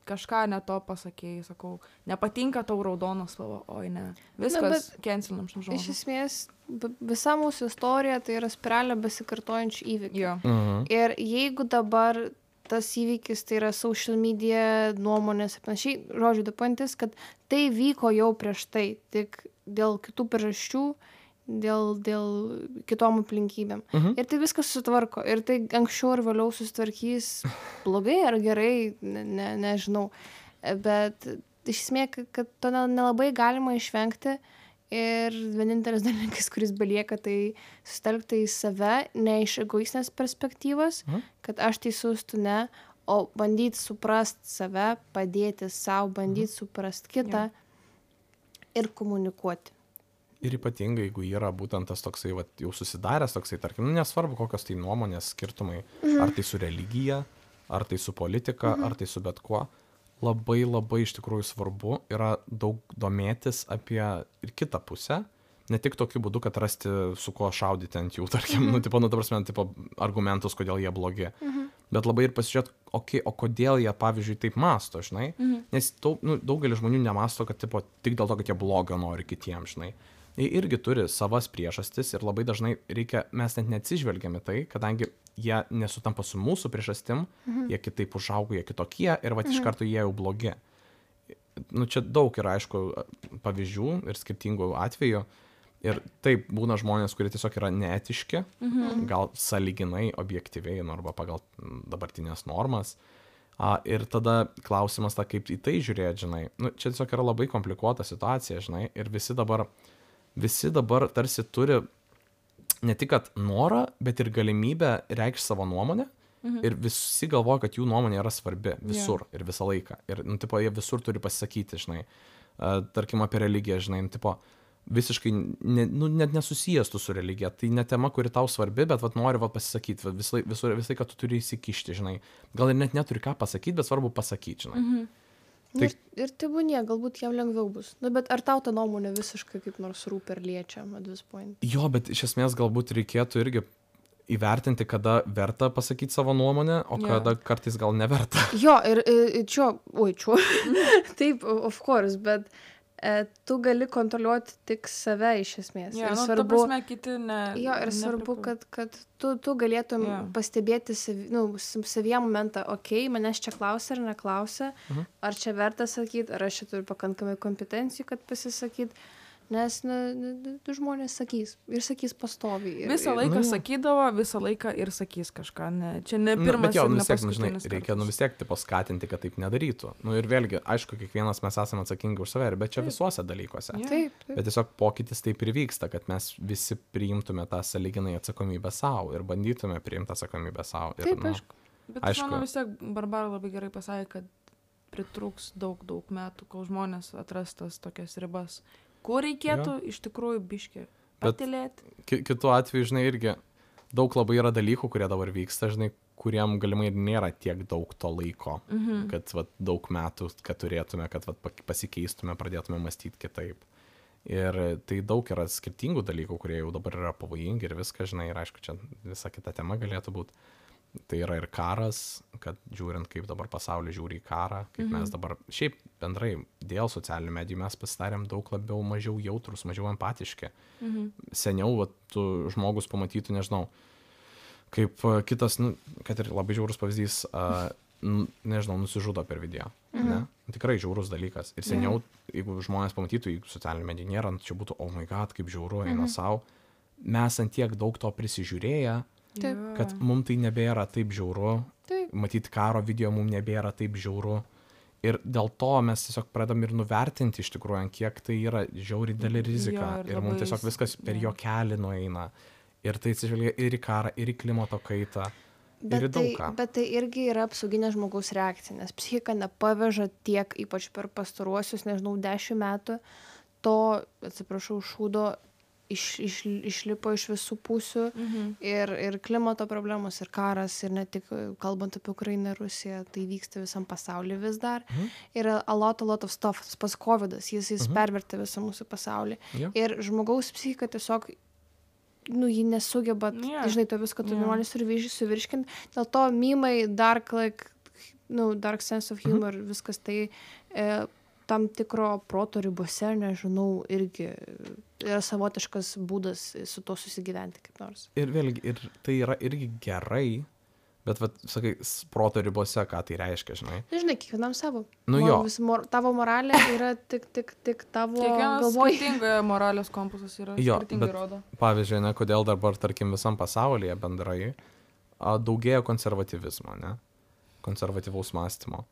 kažką ne to pasakėjai, sakau, nepatinka tau raudonas spalva, oi ne. Viskas bet cancelinam šiam Iš žodžiu. esmės, b- visa mūsų istorija tai yra spiralė besikartojančių įvykių. Jo. Mhm. Ir jeigu dabar tas įvykis, tai yra social media, nuomonės ir panašiai, žodžiu, dapantis, kad tai vyko jau prieš tai, tik dėl kitų priežasčių, dėl, dėl kitom aplinkybėm. Mhm. Ir tai viskas susitvarko. Ir tai anksčiau ir vėliau susitvarkys blogai ar gerai, ne, ne, nežinau. Bet iš esmės, kad- kad to ne- nelabai galima išvengti. Ir vienintelis dalykas, kuris belieka, tai sustelkti į save, ne iš egoistinės perspektyvos, Mhm. kad aš teisus, tu ne, o bandyti suprasti save, padėti savo, bandyti suprasti kitą ir komunikuoti. Ir ypatingai, jeigu yra būtent tas toksai, vat, jau susidaręs toksai, tarkim, nu, nesvarbu, kokios tai nuomonės skirtumai, mhm. ar tai su religija, ar tai su politika, mhm. ar tai su bet kuo, labai labai iš tikrųjų svarbu yra daug domėtis apie ir kitą pusę, ne tik tokiu būdu, kad rasti su kuo šaudyti ant jų, tarkim, mhm. nu, tipo, nu, ta prasme, tipo, argumentus, kodėl jie blogi, mhm. bet labai ir pasižiūrėti, okay, o kodėl jie, pavyzdžiui, taip masto, žinai, mhm. nes daug, nu, daugelis žmonių nemasto, kad, tipo, tik dėl to, kad jie blogio nori kitiems, žinai. Jie irgi turi savas priežastis ir labai dažnai reikia, mes net neatsižvelgiame tai, kadangi jie nesutampa su mūsų priežastim, mhm. jie kitaip užaugo, jie kitokie ir va iš karto jie jau blogi. Nu, čia daug yra, aišku, pavyzdžių ir skirtingų atvejų. Ir taip būna žmonės, kurie tiesiog yra neetiški, mhm. gal sąlyginai objektyviai, nu, arba pagal dabartinės normas. A, ir tada klausimas, ta, kaip į tai žiūrėti, žinai. Nu, čia tiesiog yra labai komplikuota situacija, žinai, ir visi dabar Visi dabar tarsi turi ne tik kad norą, bet ir galimybę reikšti savo nuomonę. Mhm. Ir visi galvoja, kad jų nuomonė yra svarbi visur yeah. ir visą laiką. Ir, nu, tipo, jie visur turi pasisakyti, žinai. Uh, tarkim, apie religiją, žinai, nu, tipo, visiškai ne, nu, net nesusijęs tu su religija. Tai ne tema, kuri tau svarbi, bet vat, nori vat, pasisakyti. Vat, visą visą laiką, kad tu turi įsikišti, žinai. Gal ir net neturi ką pasakyti, bet svarbu pasakyti, žinai. Mhm. Tai... Ir, ir tai būnie, galbūt jam lengviau bus. Nu, bet ar tau ta nuomonė visiškai kaip nors rūpi ar liečia at this point? Jo, bet iš esmės galbūt reikėtų irgi įvertinti, kada verta pasakyti savo nuomonę, o Jo. kada kartais gal neverta. Jo, ir, ir čia, oi, čia, taip, of course, bet e, tu gali kontroliuoti tik save iš esmės. Ja, ir nu, svarbu, ta prasme, kiti ne. jo, ir svarbu, kad, kad tu, tu galėtum Jo. pastebėti savi, nu, savyje momentą, okei, okay, manęs čia klausia ar neklausia, Mhm. ar čia verta sakyti, ar aš čia turiu pakankamai kompetencijų, kad pasisakyt, nes nu, nu, tu žmonės sakys ir sakys pastoviai. Ir, Visą ir, laiką nu, jo. sakydavo, visą laiką ir sakys kažką. Ne. Čia ne Nu, pirmas bet jo, ir nu, ne vis tiek, nu, žinai, paskutinis reikia nu, kartas. vis tiek tipo, skatinti, kad taip nedarytų. Nu, ir vėlgi, aišku, kiekvienas mes esame atsakingi už save, bet čia Taip. visuose dalykuose. Jo. taip, taip. Bet tiesiog pokytis taip ir vyksta, kad mes visi priimtume tą sąlyginai atsakomybę savo ir bandytume priimti atsakomybę savo. Ir, Taip, nu, aišku. Bet aš Aišku. manau vis tiek Barbara labai gerai pasakė, kad pritrūks daug, daug metų, kol žmonės atras tas tokias ribas. Kur reikėtų iš tikrųjų biškį Bet- patilėti. ki- kitu atveju, žinai, irgi daug labai yra dalykų, kurie dabar vyksta, žinai, kuriem galimai ir nėra tiek daug to laiko, Mhm. kad vat, daug metų, kad turėtume, kad vat, pak- pasikeistume, pradėtume mąstyti kitaip. Ir tai daug yra skirtingų dalykų, kurie jau dabar yra pavojingi ir viską, žinai, ir aišku, čia visa kita tema galėtų būti. Tai yra ir karas, kad žiūrint, kaip dabar pasaulis žiūri į karą, kaip Mhm. mes dabar, šiaip bendrai, dėl socialinių medijų mes pasidarėm daug labiau, mažiau jautrus, mažiau empatiški. Mhm. Seniau, vat, tu žmogus pamatytų, nežinau, kaip a, kitas, nu, kad ir labai žiaurus pavyzdys, a, n- nežinau, nusižudo per video. Mhm. Ne? Tikrai žiaurus dalykas. Ir Jo. seniau, jeigu žmonės pamatytų, jeigu socialinių medijų nėra, nu, čia būtų, oh my god, kaip žiauru, eina Mhm. savo. Mes ant tiek daug to prisižiūrėję, Taip. Jo. kad mums tai nebėra taip žiauru. Taip. Matyti karo video mums nebėra taip žiauru. Ir dėl to mes tiesiog pradam ir nuvertinti iš tikrųjų, ant kiek tai yra žiauri didelė rizika. Jo, ir ir mums labai tiesiog s- viskas per jo. jo kelią nueina. Ir tai atsižvelgia ir į karą, ir į klimato kaitą. Ir į Bet daug tai, ką. bet tai irgi yra apsauginė žmogaus reakcija, nes psichika nepaveža tiek, ypač per pastaruosius, nežinau, dešimt metų, to, atsiprašau, šūdo iš, iš, išlipo iš visų pusių. Mhm. Ir, ir klimato problemos, ir karas, ir ne tik e, kalbant apie Ukrainą ir Rusiją, tai vyksta visam pasaulyje vis dar. Mhm. Yra a lot, a lot of stuff, tas pas covidas, jis, jis Mhm. pervertė visą mūsų pasaulį. Jo. Ir žmogaus psichika tiesiog, nu, ji nesugeba, Jo. yeah. žinai, to visko tu Jo. nenori suvirš- suvirškinti. Dėl to mymai, dark, like, nu, dark sense of humor, mhm. viskas tai e, tam tikro proto ribose, nežinau, irgi yra savotiškas būdas su to susigyventi kaip nors. Ir vėlgi, ir tai yra irgi gerai, bet, vat, sakai, s- proto ribose, ką tai reiškia, žinai. Žinai, kiekvienam savo. Nu Mor- jo. vis mor, tavo moralė yra tik, tik, tik tavo Kiekvienas galvoj. skirtingai moralės kompasas yra, Jo, skirtingai bet- rodo. Pavyzdžiui, ne, kodėl dabar, tarkim, visam pasaulyje bendrai a, daugėja konservatyvizmo, ne? Konservatyvaus mąstymo.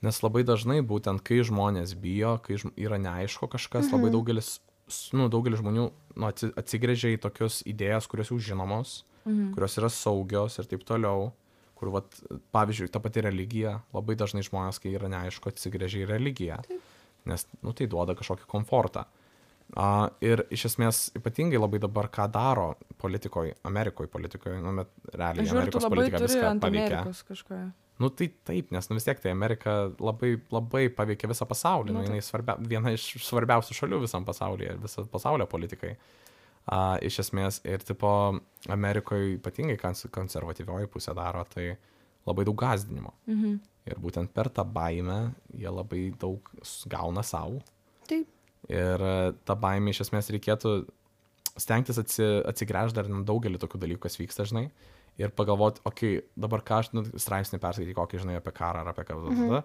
Nes labai dažnai būtent, kai žmonės bijo, kai žm- yra neaišku kažkas, labai daugelis, s- nu, daugelis žmonių nu, atsi- atsigręžia į tokius idėjas, kurios jau žinomos, Mhm. kurios yra saugios ir taip toliau. Kur, vat, pavyzdžiui, ta pati religija, labai dažnai žmonės, kai yra neaišku, atsigręžia į religiją. Nes, nu, tai duoda kažkokį komfortą. A, ir iš esmės, ypatingai labai dabar, ką daro politikoje, Amerikoje politikoje, nu, bet realiai Žiūrėk, tu Amerikos labai politika turi viską ant paveikia. Amerikos kažką. Nu, tai taip, nes, nu, vis tiek tai Amerika labai, labai paveikia visą pasaulį. Nu, Nu, jinai svarbia, viena iš svarbiausių šalių visam pasaulyje, viso pasaulio politikai. A, iš esmės, ir tipo, Amerikoje ypatingai kons- konservatyvioji pusė daro, tai labai daug gąsdinimo. Mhm. Ir būtent per tą baimę jie labai daug s- gauna savo. Taip. Ir e, tą baimę iš esmės reikėtų stengtis atsi, atsigręžti dar į daugelį tokių dalykų, kas vyksta, žinai. Ir pagalvoti, okei, okay, dabar ką aš nu, straipsnį perskaityti, kokį, žinai, apie karą ar apie ką. Mhm.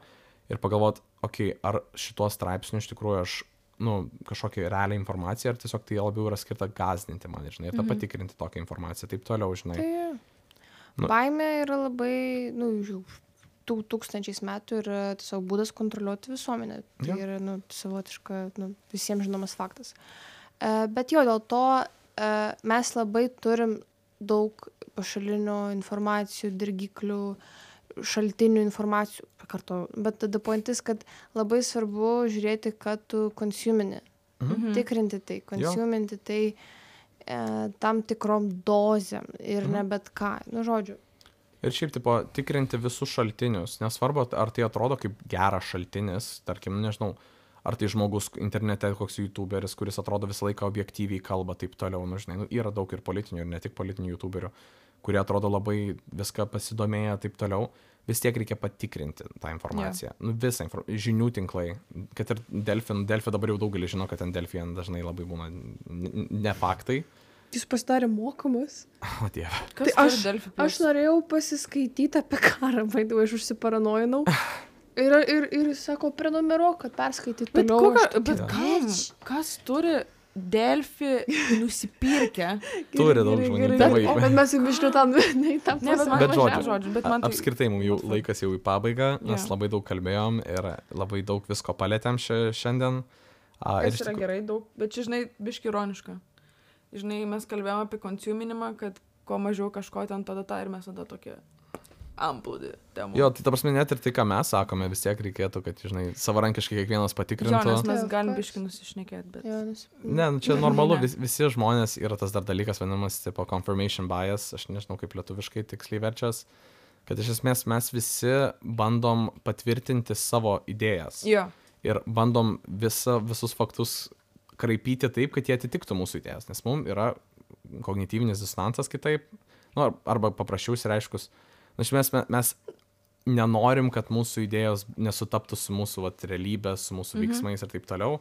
Ir pagalvoti, okei, okay, ar šituo straipsniu iš tikrųjų aš, nu, kažkokią realią informaciją, ar tiesiog tai labiau yra skirta gazdinti man, žinai, ir tą Mhm. patikrinti tokią informaciją, taip toliau, žinai. Tai Nu. baimė yra labai, nu, jau tų tūkstančiais metų yra tiesiog būdas kontroliuoti visuomenę. Tai Jo. yra, nu, savotiška, nu, visiems žinomas faktas. E, bet jo, dėl to e, mes labai turim daug pašalinių informacijų, dirgiklių, šaltinių informacijų, pakartoju. Bet tada pointis, kad labai svarbu žiūrėti, kad tu konsumini. Mhm. Tikrinti tai, konsuminti tai e, tam tikrom dozėm ir Mhm. ne bet ką. Nu, žodžiu. Ir šiaip, tipo, tikrinti visus šaltinius, nesvarbu, ar tai atrodo kaip geras šaltinis, tarkim, nežinau, ar tai žmogus internete, koks youtuberis, kuris atrodo visą laiką objektyviai kalba, taip toliau, nu, žinai, nu, yra daug ir politinių, ir ne tik politinių youtuberių, kurie atrodo labai viską pasidomėję, taip toliau, vis tiek reikia patikrinti tą informaciją. Yeah. Nu, visą infor... žinių tinklai, kad ir Delfi, Delfi dabar jau daugelis žino, kad ten Delfi dažnai labai būna n- ne faktai. Jis pasidarė mokamas. O dieve. Kas Tai aš- turi Delfi Aš Plus? norėjau pasiskaityti apie karą, vaidau, aš užsiparanojinau. Ir, ir, ir jis sako, prenumeruok, kad perskaityti Bet, toliau. kokia, Aš tokia, bet kam? "Bitch." Kas turi Delfi nusipirkę? Turi Gerai, daug gerai, žmonių gerai. tėvai. Bet, bet mes jau biškiu tam, ne į tą Ne, bet pusę. man Bet bet žodžiu, žodžiu, bet man tai... Apskritai, mums jau laikas jau į pabaigą, nes Jo. labai daug kalbėjom ir labai daug visko palėtėm šia- šiandien. A, ir Kas iš yra tikrųjų- gerai daug, bet čia, žinai, biški ironiška. Žinai, mes kalbėjome apie konsuminimą, kad kuo mažiau kažko ten tada ta ir mes tada tokie. amplūdį temų. Jo, tai ta prasme, net ir tai, ką mes sakome, vis tiek reikėtų, kad, žinai, savarankiškai kiekvienas patikrintų. Jo, nes mes Taip, galim kas? biškai nusišnekėti, bet... Jo, nes... Ne, nu, čia normalu, Ne. vis, visi žmonės yra tas dar dalykas, vadinamas, tipo, confirmation bias, aš nežinau, kaip lietuviškai tiksliai verčias, kad iš esmės mes visi bandom patvirtinti savo idėjas. Jo. Ir bandom visa, visus faktus kraipyti taip, kad jie atitiktų mūsų idėjas, nes mums yra kognityvinis disonansas kitaip, nu, arba paprasčiau ir aiškus. Na, iš esmės mes, mes nenorim, kad mūsų idėjos nesutaptų su mūsų vat, realybė, su mūsų Mhm. veiksmais ir taip toliau.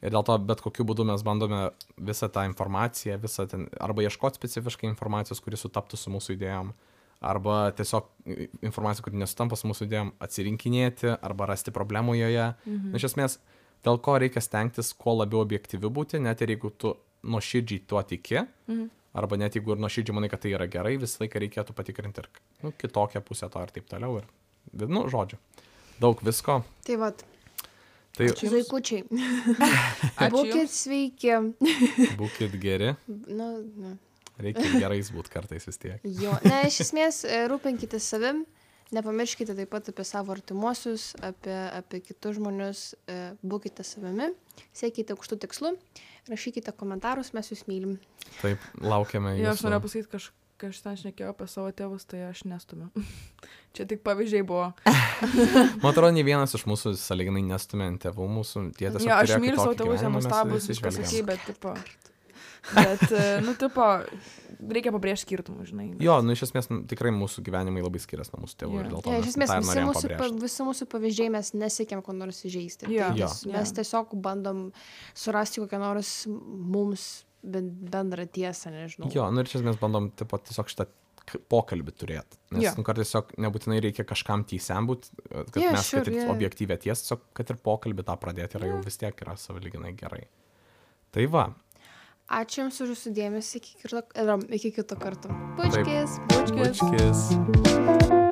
Ir dėl to bet kokiu būdu mes bandome visą tą informaciją, visą ten, arba ieškoti specifiškai informacijos, kuri sutaptų su mūsų idėjom, arba tiesiog informaciją, kuri nesutampa su mūsų idėjom, atsirinkinėti, arba rasti problemų joje. Mhm. Na, iš esmės, dėl ko reikia stengtis kuo labiau objektyvi būti, net ir jeigu tu nuoširdžiai tuo tiki, Mhm. arba net jeigu ir nuoširdžiai manai, kad tai yra gerai, visą laiką reikėtų patikrinti ir nu, kitokią pusę to ir taip toliau. Ir, nu, žodžiu, daug visko. Tai vat, Tai Ačiū Jums. zaikučiai, Ačiū būkit Jums. sveiki. būkit geri, Nu, nu. reikia ir gerais būti kartais vis tiek. Jo, ne, iš esmės e, rūpinkite savim, nepamirškite taip pat apie savo artimuosius, apie, apie kitus žmonius, e, būkite savimi, siekite aukštų tikslų, rašykite komentarus, mes jūs mylim. Taip, laukiame Jo, aš jūsų. norėjau pasakyti, kaž, kai aš ten šnekėjau apie savo tėvus, tai aš nestumiu. Čia tik pavyzdžiai buvo. Man atrodo, nei vienas iš mūsų sąlyginai nestumė ant tėvų mūsų. Tie tiesiog Jo, aš turėjo myliu savo kitokį tėvus, jie gyvenimą, mes nuostabus, visi viskas žvelgiam. ok, bet, tipo... Bet, e, nu, tipo, reikia pabrėžti skirtumų, žinai. bet- Jo, nu iš esmės nu, tikrai mūsų gyvenimai labai skiriasi nuo mūsų tėvų Jo. ir dėl to Ja, iš mes esmės tą ir visi norėjom mūsų, pa, pabrėžti. visi mūsų pavyzdžiai mes nesiekiam ko nors įžeisti. Jo. Tai Jo. ties- Mes Jo. tiesiog bandom surasti kokią nors mums ben- bendrą tiesą, nežinau. Jo, nu ir iš esmės bandom tipo, tiesiog šitą k- pokalbį turėti. Nes Jo. nu, kartais tiesiog nebūtinai reikia kažkam teisiam būt, kad Jo, mes, sure, kad ir jo. objektyvę tiesą, tiesiog kad ir pokalbį tą pradėti yra jau vis tiek yra savalyginai gerai. Tai va, Ačiū Jums už Jūsų dėmesį, iki kito, iki kito karto. Pučkis. Bučkis. bučkis.